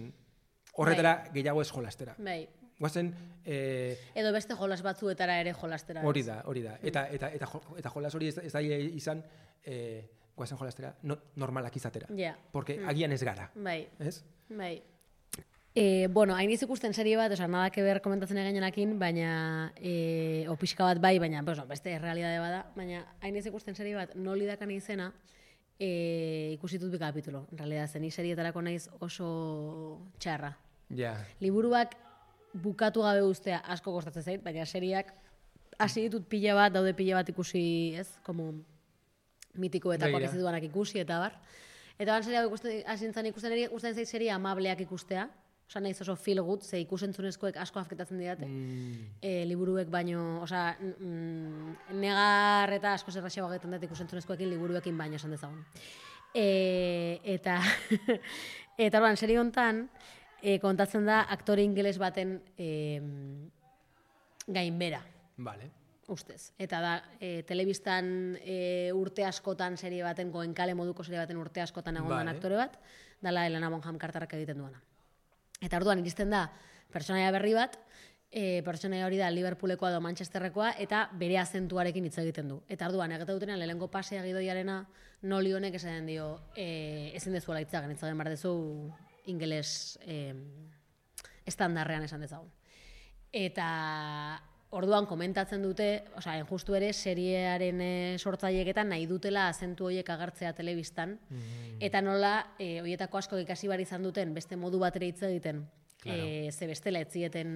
horretara bai. Gehiago ez jolastera. Bai. Guazen, eh, edo beste jolas batzuetara ere jolastera. Hori da, hori da. Eta, eta, eta, eta jolas hori ez, ez da izan eh, guazen jolastera no, normalak izatera. Yeah. Porque mm. agian ez gara. Bai. Ez? Bai. E, bueno, hain iz ikusten serie bat, oza, nada que ber komentatzen egenenakin, baina, e, o pixka bat bai, baina, pues, no, beste realidade bada, baina hain iz ikusten serie bat, noli dakan izena, e, ikusitut bi kapitulo. En realidad, zen serietarako naiz oso txarra. Ja. Yeah. Liburuak bukatu gabe ustea asko kostatzen zait, baina seriak hasi ditut pila bat, daude pila bat ikusi, ez? Como mitikoetakoak ez dituanak ikusi eta bar. Eta ban seria hasi nintzen ikusten ere, gustatzen zait seria amableak ikustea. Osa naiz oso feel good, ze ikusentzunezkoek asko afketatzen didate. Mm. E, liburuek baino, osa, mm, negar eta asko zerraxeago egiten dut ikusentzunezkoekin liburuekin baino esan dezagun. E, eta, eta orduan, serie hontan, E, kontatzen da aktore ingeles baten e, gainbera. Vale. Ustez. Eta da, e, telebistan e, urte askotan serie baten, goenkale moduko serie baten urte askotan egon vale. Aktore bat, dala Helena Bonham Carterrak egiten duena. Eta orduan iristen da pertsonaia berri bat, e, pertsonaia hori da Liverpoolekoa edo Manchesterrekoa, eta bere azentuarekin hitz egiten du. Eta orduan, egiten dutenean, lehengo pasea gidoiarena, noli honek esaten dio, e, ezin dezuela hitzagen, hitzagen behar dezu ingeles eh, estandarrean esan dezagun. Eta orduan komentatzen dute, osea, enjustu ere, seriearen e, sortzaileeketan nahi dutela azentu horiek agertzea telebistan, mm. eta nola, e, horietako asko ikasi bar izan duten, beste modu bat ere hitz egiten, claro. e, ze bestela ez zieten,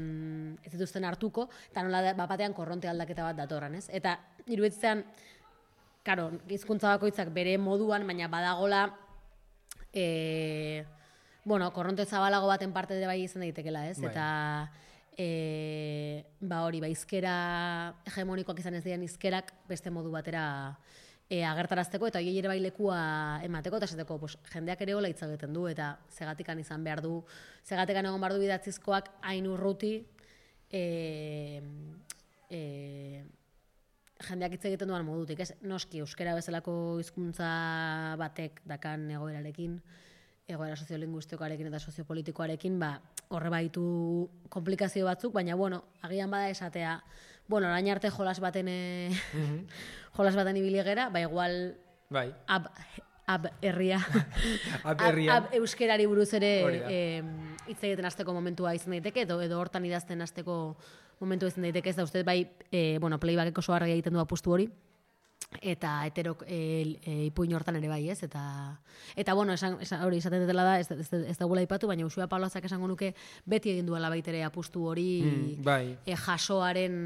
ez dituzten hartuko, eta nola bapatean korronte aldaketa bat datorran, ez? Eta iruditzean, karo, hizkuntza bakoitzak bere moduan, baina badagola, e, bueno, korronte zabalago baten parte de bai izan daitekela, ez? Bai. Eta e, ba hori, ba hizkera hegemonikoak izan ez diren hizkerak beste modu batera e, agertarazteko eta hiei ere bai lekua emateko eta esateko, pues, jendeak ere hola hitz egiten du eta zegatikan izan behar du, zegatikan egon behar du idatzizkoak hain urruti e, e, jendeak hitz egiten duan modutik, ez? Noski euskera bezalako hizkuntza batek dakan egoerarekin, egoera soziolinguistikoarekin eta soziopolitikoarekin, ba, horre baitu komplikazio batzuk, baina, bueno, agian bada esatea, bueno, orain arte jolas baten, e, mm-hmm. jolas baten ibiligera, ba, igual, bai. ab, ab herria, ab, ab, ab euskerari buruz ere hitz e, egiten hasteko momentua izan daiteke, edo, edo hortan idazten hasteko momentua izan daiteke, ez da, uste, bai, e, bueno, playbackeko oso argi egiten du apustu hori, eta heterok e, e, ipuin hortan ere bai, ez? Eta, eta bueno, esan, esan, hori izaten dela da, ez, ez, ez da gula ipatu, baina Usua Pablazak esango nuke beti egin duela baitere apustu hori mm, bai. e, jasoaren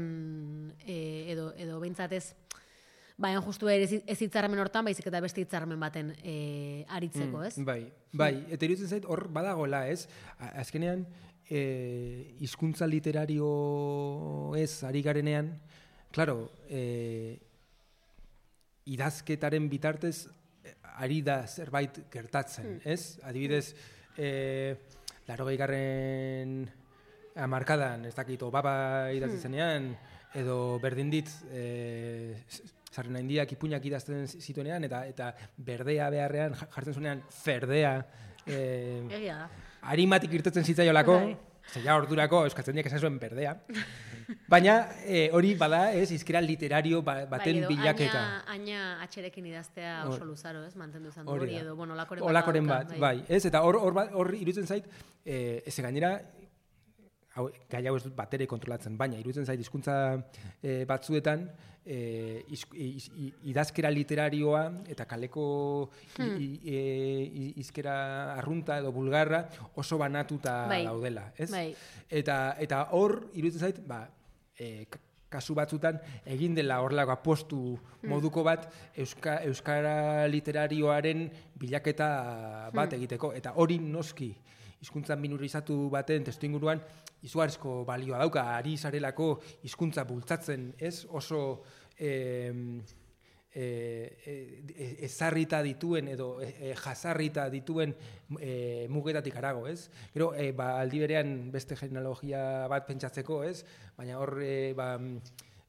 e, edo, edo behintzatez, baina justu ere ez hitzarmen hortan, baizik eta beste hitzarmen baten e, aritzeko, ez? Mm, bai, bai, eta iruditzen zait hor badagola, ez? Azkenean, e, hizkuntza literario ez ari garenean, claro, e, idazketaren bitartez ari da zerbait gertatzen, mm. ez? Adibidez, eh, larogei garren hamarkadan, ez dakit, Obama idatzi zenean, edo berdin dit, eh, Sarrena Indiak ipuinak idazten zituenean, eta eta berdea beharrean jartzen zuenean, ferdea, eh, harimatik irtetzen zitzaiolako, zeia ordurako euskatzen diak esan zuen berdea. Baina eh, hori bada, ez, hizkera literario baten bai, bilaketa. Aina atxerekin idaztea oso luzaro, ez, mantendu zan du hori, edo, bueno, olakoren, olakoren bat, bai. bai. Ez, eta hor, hor, hor iruditzen zait, eh, ez gainera, hau, gai hau ez dut batere kontrolatzen, baina iruditzen zait hizkuntza eh, batzuetan eh, iz, iz, iz, idazkera literarioa eta kaleko hmm. hizkera arrunta edo bulgarra oso banatuta bai. Daudela, ez? Bai. Eta eta hor iruditzen zait, ba, eh, kasu batzutan egin dela horrelako apostu moduko bat euska, euskara literarioaren bilaketa bat egiteko, eta hori noski hizkuntza minorizatu baten testuinguruan izugarrizko balioa dauka, ari zarelako hizkuntza bultzatzen, ez oso eh, eh, ezarrita dituen edo eh, jazarrita dituen eh, mugetatik arago, ez? Gero, eh, ba, aldi berean beste genealogia bat pentsatzeko, ez? Baina hor, eh, ba,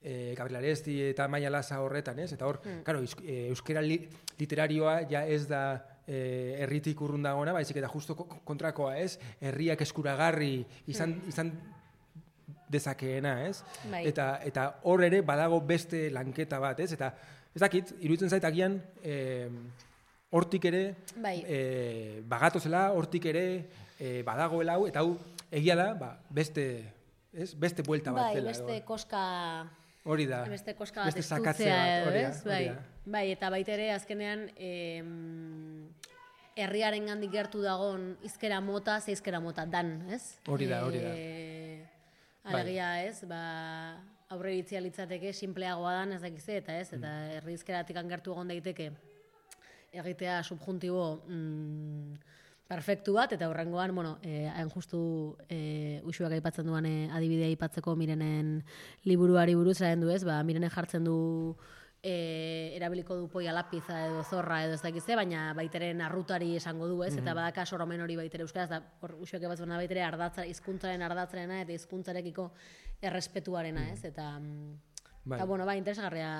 eh, Gabriel Aresti eta Maia Lasa horretan, ez? Eta hor, mm. claro, euskera li, literarioa ja ez da herritik eh, urrun dagoena, baizik eta justo kontrakoa, ez? Herriak eskuragarri izan, mm. izan dezakeena, ez? Bai. Eta eta hor ere badago beste lanketa bat, ez? Eta ez dakit, iruditzen zait agian eh, hortik ere bai. eh, bagatozela, hortik ere eh, badagoela hau, eta hau egia da, ba, beste, ez? Beste buelta bat bai, zela. Beste edo. Koska... Hori da, beste koska bat beste sakatze bat, hori da. Bai, bai, eta baita ere azkenean eh, herriaren gandik gertu dagon hizkera mota, ze hizkera mota dan, ez? Hori da, hori da. E, alegia, bai. Ez, ba, aurre iritzia litzateke, simpleagoa dan, ez dakize, eta ez, eta mm. herri hizkeratik gertu egon daiteke egitea subjuntibo mm, perfektu bat, eta horrengoan, bueno, eh, hain justu eh, usuak aipatzen duan eh, adibidea aipatzeko Mirenen liburuari buruz, eraen du ez, ba, Mirenen jartzen du E, erabiliko du poia lapiza edo zorra edo ez dakize, baina baiteren arrutari esango du, ez? Mm-hmm. Eta badaka soromen hori baitere euskaraz, da hor usuak ebatzen baitere ardatza, hizkuntzaren ardatzarena eta hizkuntzarekiko errespetuarena, ez? Eta, bai. Eta bueno, bai, interesgarria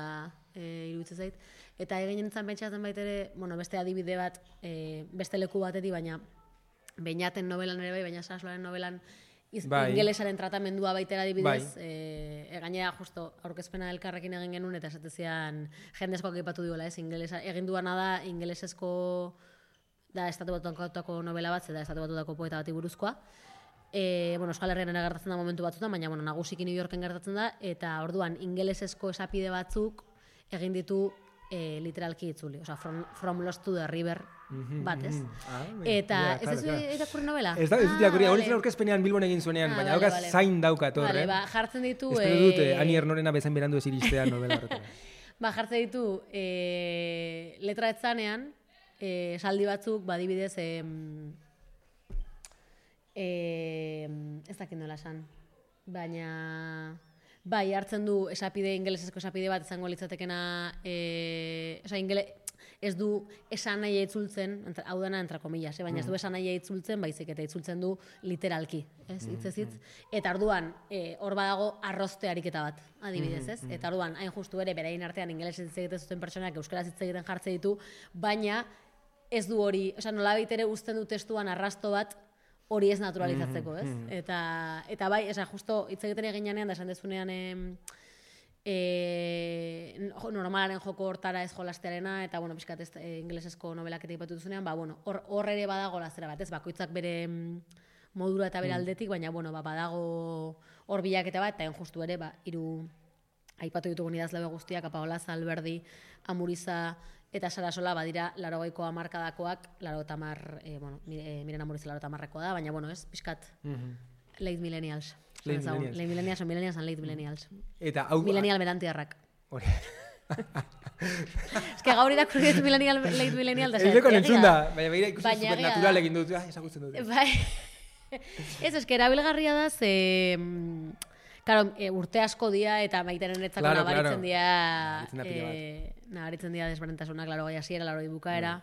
e, iruditzen zait. Eta egin nintzen pentsatzen baitere, bueno, beste adibide bat, e, beste leku batetik, baina Beñaten novelan ere bai, baina Sasloaren novelan Iz, bai. Ingelesaren tratamendua baitera adibidez, bai. e, gainera justo aurkezpena elkarrekin egin genuen eta esatezian jendezkoak aipatu diola, ez, ingelesa, egin duana da ingelesezko da estatu batutako novela bat, eta estatu batutako poeta bati buruzkoa. E, bueno, Euskal Herrian ere gertatzen da momentu batzutan, baina bueno, nagusiki New Yorken gertatzen da, eta orduan ingelesezko esapide batzuk egin ditu e, literalki itzuli, osea, from, from Lost to the River bat, ez? Ah, eta, ez ez irakurri novela? Ez da, ez dut irakurri, hori zen aurkezpenean Bilbon egin zuenean, baina daukaz zain daukat hor, eh? Ba, jartzen ditu... Espero dute, Ani Ernorena bezain berandu ez iristea novela horretara. Ba, jartzen ditu, letra etzanean, esaldi batzuk, badibidez, ez dakit nola esan, baina... Bai, hartzen du esapide, ingelesezko esapide bat izango litzatekena, e, oza, ingele, ez du esan nahi itzultzen, hau dena entra komillas, eh? Baina ez du esan nahi itzultzen, baizik eta itzultzen du literalki, ez, hitzez hitz. Eta orduan, e, hor badago arrozte ariketa bat, adibidez, ez? Eta orduan, hain justu ere, berain artean ingelesez hitz egiten zuten pertsonak euskaraz hitz egiten jartzen ditu, baina ez du hori, oza, nolabait ere uzten du testuan arrasto bat, hori ez naturalizatzeko, ez? Mm-hmm. Eta, eta bai, esa, justo hitz egiten eginean da esan dezunean e, e, normalaren joko hortara ez jolastearena, eta, bueno, pixkat ez e, ingelesezko novelak eta ipatu duzunean, ba, bueno, hor, hor ere badago lazera bat, ez? Bakoitzak bere modura eta bere aldetik, baina, bueno, ba, badago hor bilaketa bat, eta justu ere, ba, hiru aipatu ditugu idazle guztiak, Paola Alberdi, Amuriza, eta Sarasola badira larogeiko hamarkadakoak, laro eta mar, e, bueno, Miren Amuriza laro eta marrekoa da, baina, bueno, ez, pixkat, mm-hmm. late millennials. Late millennials. Late millennials, millennials and late millennials. Eta hau... Millennial berantiarrak. Hori. Ez que gaur irakurri dut millennial, late millennial, da zer. Ez deko nentzun da, baina begira ikusi supernatural egin dut, ah, esagutzen dut. Bai. Ez, ez que erabilgarria da, ze... Claro, e, urte asko dia eta maitenen etzako Claro, nabaritzen claro. dia, Nabaritzen da pilo bat. eh, nabaritzen dia desberdintasunak, laro gai hasiera, laro bukaera.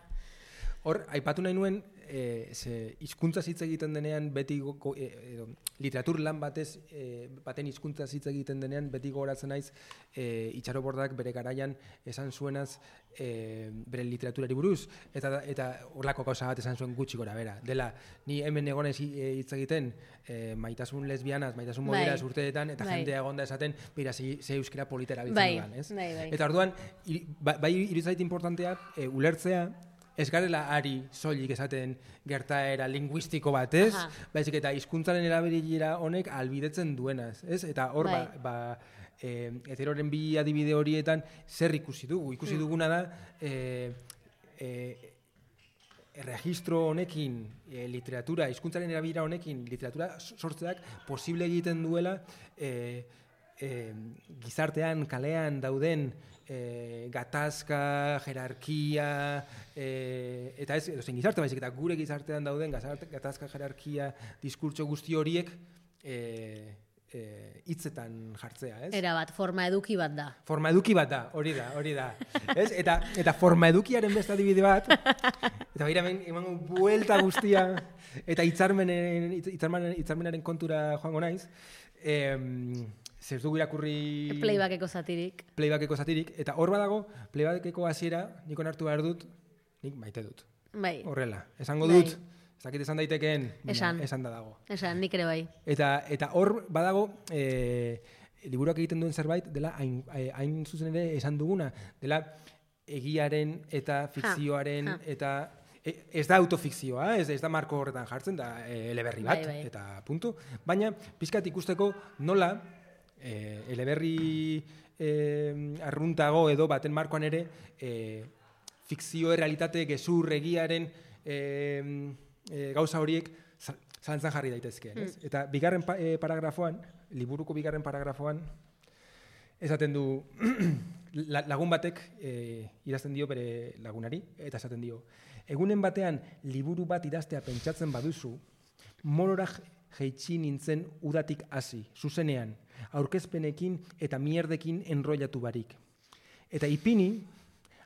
Hor, aipatu nahi nuen, e, ze hizkuntza hitz egiten denean, beti go, go, e, edo, literatur lan batez, e, baten hizkuntza hitz egiten denean, beti gogoratzen naiz, e, Itxarobordak bere garaian esan zuenaz, e, bere literaturari buruz, eta eta horlako gauza bat esan zuen gutxi gora bera. Dela, ni hemen egonez hitz egiten, e, maitasun lesbianaz, maitasun moderaz Bai. urteetan, eta Bai. jendea egonda esaten, bera, ze, ze euskera politera biltzen Bai, dudan, ez? bai, bai. Eta orduan, iri, ba- bai iruditzait importantea, e, ulertzea, ez garela ari soilik esaten gertaera linguistiko batez, Aha. baizik eta hizkuntzaren erabilera honek albidetzen duenaz, ez? Eta hor Bai. ba, ba e, heteroren bi adibide horietan zer ikusi dugu? Ikusi Mm. duguna da e, e, erregistro honekin, e, literatura, hizkuntzaren erabilera honekin, literatura sortzeak posible egiten duela e, e, gizartean, kalean dauden e, gatazka, jerarkia, e, eta ez, edo zein gizarte baizik, eta gure gizartean dauden gazarte, gatazka, jerarkia, diskurtso guzti horiek e, e, hitzetan jartzea, ez? Era bat, forma eduki bat da. Forma eduki bat da, hori da, hori da. Ez? Eta, eta forma edukiaren beste adibide bat, eta begira hemen emango buelta guztia, eta hitzarmenen, hitzarmenen, hitzarmenaren kontura joango naiz, em, zer dugu irakurri... Playbackeko zatirik. Playbackeko zatirik, eta hor badago, playbackeko hasiera, nik onartu behar dut, nik maite dut. Bai, Horrela, esango Bai. dut, ez dakit esan daitekeen, baina Esan. esan da dago. esan, nik ere bai. Eta eta hor badago e, liburuak egiten duen zerbait dela hain, hain zuzen ere esan duguna, dela egiaren eta fikzioaren ha. eta e, ez da autofikzioa, ez, ez da marko horretan jartzen, da e, eleberri bat, Bai, bai. eta puntu. Baina pizkat ikusteko nola e, eleberri e, arruntago edo baten markoan ere e, fikzio errealitate gezur egiaren e, e, gauza horiek za- zalantzan jarri daitezkeen, ez? Eta bigarren pa, e, paragrafoan, liburuko bigarren paragrafoan, esaten du la- lagun batek e, idazten dio bere lagunari, eta esaten dio, egunen batean liburu bat idaztea pentsatzen baduzu, morora jeitsi nintzen udatik hasi, zuzenean, aurkezpenekin eta mierdekin enrollatu barik. Eta ipini,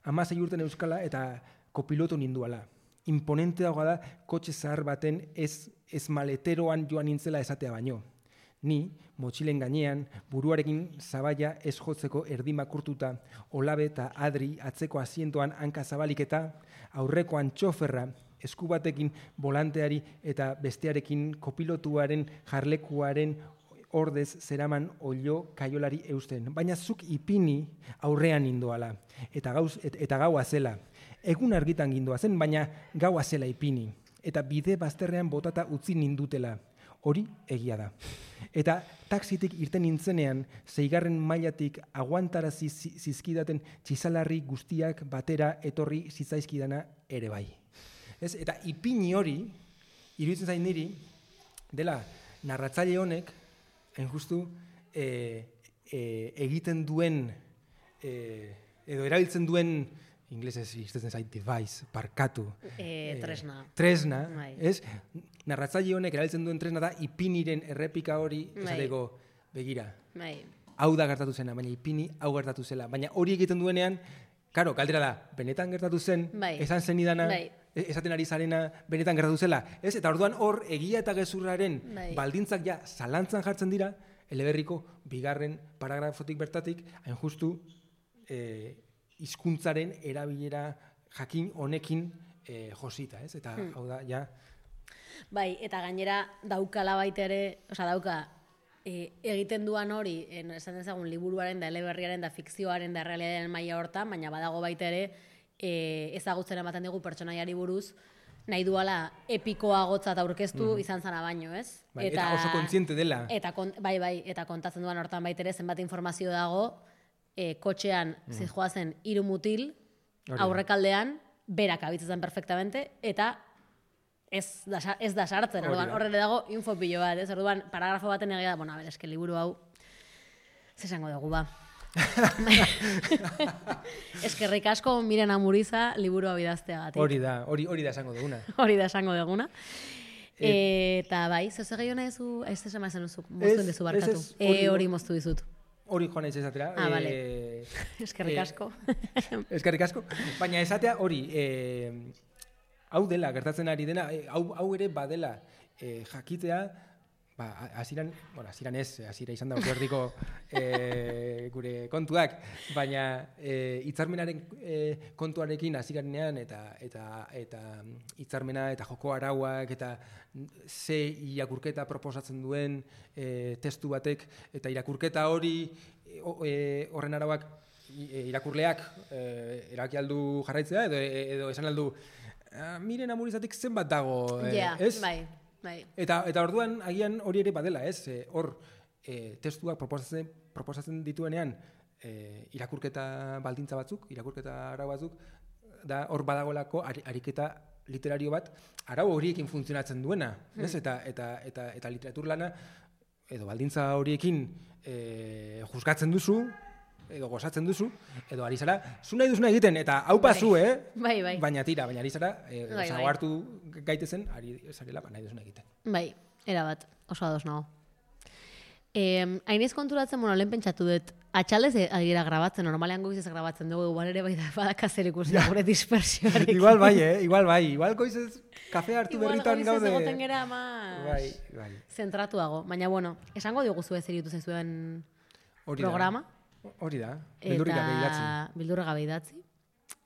hamasei urten euskala eta kopilotu ninduala. Imponenteagoa da kotxe zahar baten ez, ez maleteroan joan nintzela esatea baino. Ni, motxilen gainean, buruarekin zabaia ez jotzeko erdi makurtuta, olabe eta adri atzeko asientoan hanka zabalik eta aurrekoan txoferra, esku batekin volanteari eta bestearekin kopilotuaren jarlekuaren ordez zeraman olio kaiolari eusten. Baina zuk ipini aurrean nindoala, eta, gauz, et, eta gaua zela. Egun argitan gindoa zen, baina gaua zela ipini. Eta bide bazterrean botata utzi nindutela. Hori egia da. Eta taxitik irten nintzenean, zeigarren mailatik aguantarazi zi- zizkidaten txizalarri guztiak batera etorri zitzaizkidana ere bai. Ez? Eta ipini hori, iruditzen zain niri, dela narratzaile honek, hain justu, e, e, egiten duen, e, edo erabiltzen duen, inglesez iztetzen zait device, parkatu. E, tresna. Tresna, Bai. ez? Narratzaile honek erabiltzen duen tresna da ipiniren errepika hori, Bai. esateko, begira, Bai, hau da gertatu zena, baina ipini hau gertatu zela. Baina hori egiten duenean, karo, galdera da, benetan gertatu zen, Bai. esan zenidana, Bai. e- esaten ari zarena, benetan gertatu zela. Ez? Eta orduan hor, egia eta gezurraren Bai. baldintzak ja zalantzan jartzen dira, eleberriko bigarren paragrafotik bertatik, hain justu, e, hizkuntzaren erabilera jakin honekin e, josita, ez? Eta Hmm. hau da, ja, bai, eta gainera daukala baita ere, osea dauka, e, egiten duan hori, en, esan dezagun liburuaren da eleberriaren da fikzioaren da errealitatearen maila hortan, baina badago baita ere e, ezagutzen ematen digu pertsonaiari buruz, nahi duala epikoagotzat aurkeztu izan zana baino, ez? bai, eta, oso kontziente dela. Eta kon, bai, bai, eta kontatzen duan hortan baita ere zenbat informazio dago, e, kotxean mm. zijoazen hiru mutil, Hori da. aurrekaldean, berak abitzetan perfectamente, eta ez da, sa- ez da sartzen, Hori orduan da. horre dago info pilo bat, ez? Orduan paragrafo baten egia da, bueno, a ber, eske liburu hau, ze esango dugu ba. Eskerrik asko Miren Amuriza liburu hau idazteagatik. Hori da, hori, hori da esango duguna. Hori da esango duguna. Eta bai, zoze gehiago nahi zu, ez ez emazen duzu, moztuen dezu barkatu. ez, ez, hori- E, hori moztu dizut. Hori joan ez esatera. Ah, eh, bale. Eskerrik eh, asko. Eskerrik asko. Baina esatea hori, eh, hau dela, gertatzen ari dena, eh, hau, hau ere badela eh, jakitea, ba, hasieran, bueno, hasieran ez, hasiera izan da ordiko eh, gure kontuak, baina eh, hitzarmenaren eh, kontuarekin hasieran eta eta eta hitzarmena eta joko arauak eta ze irakurketa proposatzen duen eh, testu batek eta irakurketa hori eh, horren arauak i- irakurleak eh, eraki aldu jarraitzea edo edo esan aldu "Ah, miren amurizatik zenbat dago, eh, Ja, ez?" bai, bai. Eta, eta orduan, agian hori ere badela, ez? E, hor, e, testuak proposatzen, proposatzen dituenean, e, irakurketa baldintza batzuk, irakurketa arau batzuk, da hor badagoelako ari, ariketa literario bat, arau horiekin funtzionatzen duena, ez? Eta, eta, eta, eta literatur lana, edo baldintza horiekin e, juzgatzen duzu, edo gozatzen duzu, edo ari zara, zu nahi duzuna egiten, eta hau pasu, eh? Bai, bai. Baina tira, baina ari zara, e, Bai, bai. hartu gaitezen, ari zarela, ba, nahi duzuna egiten. Bai, erabat, oso ados nago. Eh, hainez konturatzen, bueno, lehen pentsatu dut, atxaldez ari gira grabatzen, normalean goizez grabatzen dugu, igual ere bai da badaka zer ikusi gure dispersioarekin. Igual bai, eh? Igual bai. Igual goizez kafe hartu Igual berritan goizez gaude. egoten gera mas Bai, bai. zentratuago. Baina, bueno, esango dioguzu ez eritu zaizuen Hori da. programa. Hori da. Beldurrik gabe idatzi. Eta bildurra gabe idatzi.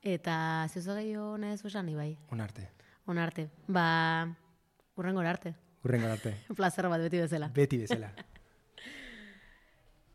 Eta zeuzo gehiago nahi zu esan, bai. Onarte. Onarte. Ba, urrengora arte. Hurrengo arte. Plazer bat beti bezala. Beti bezala.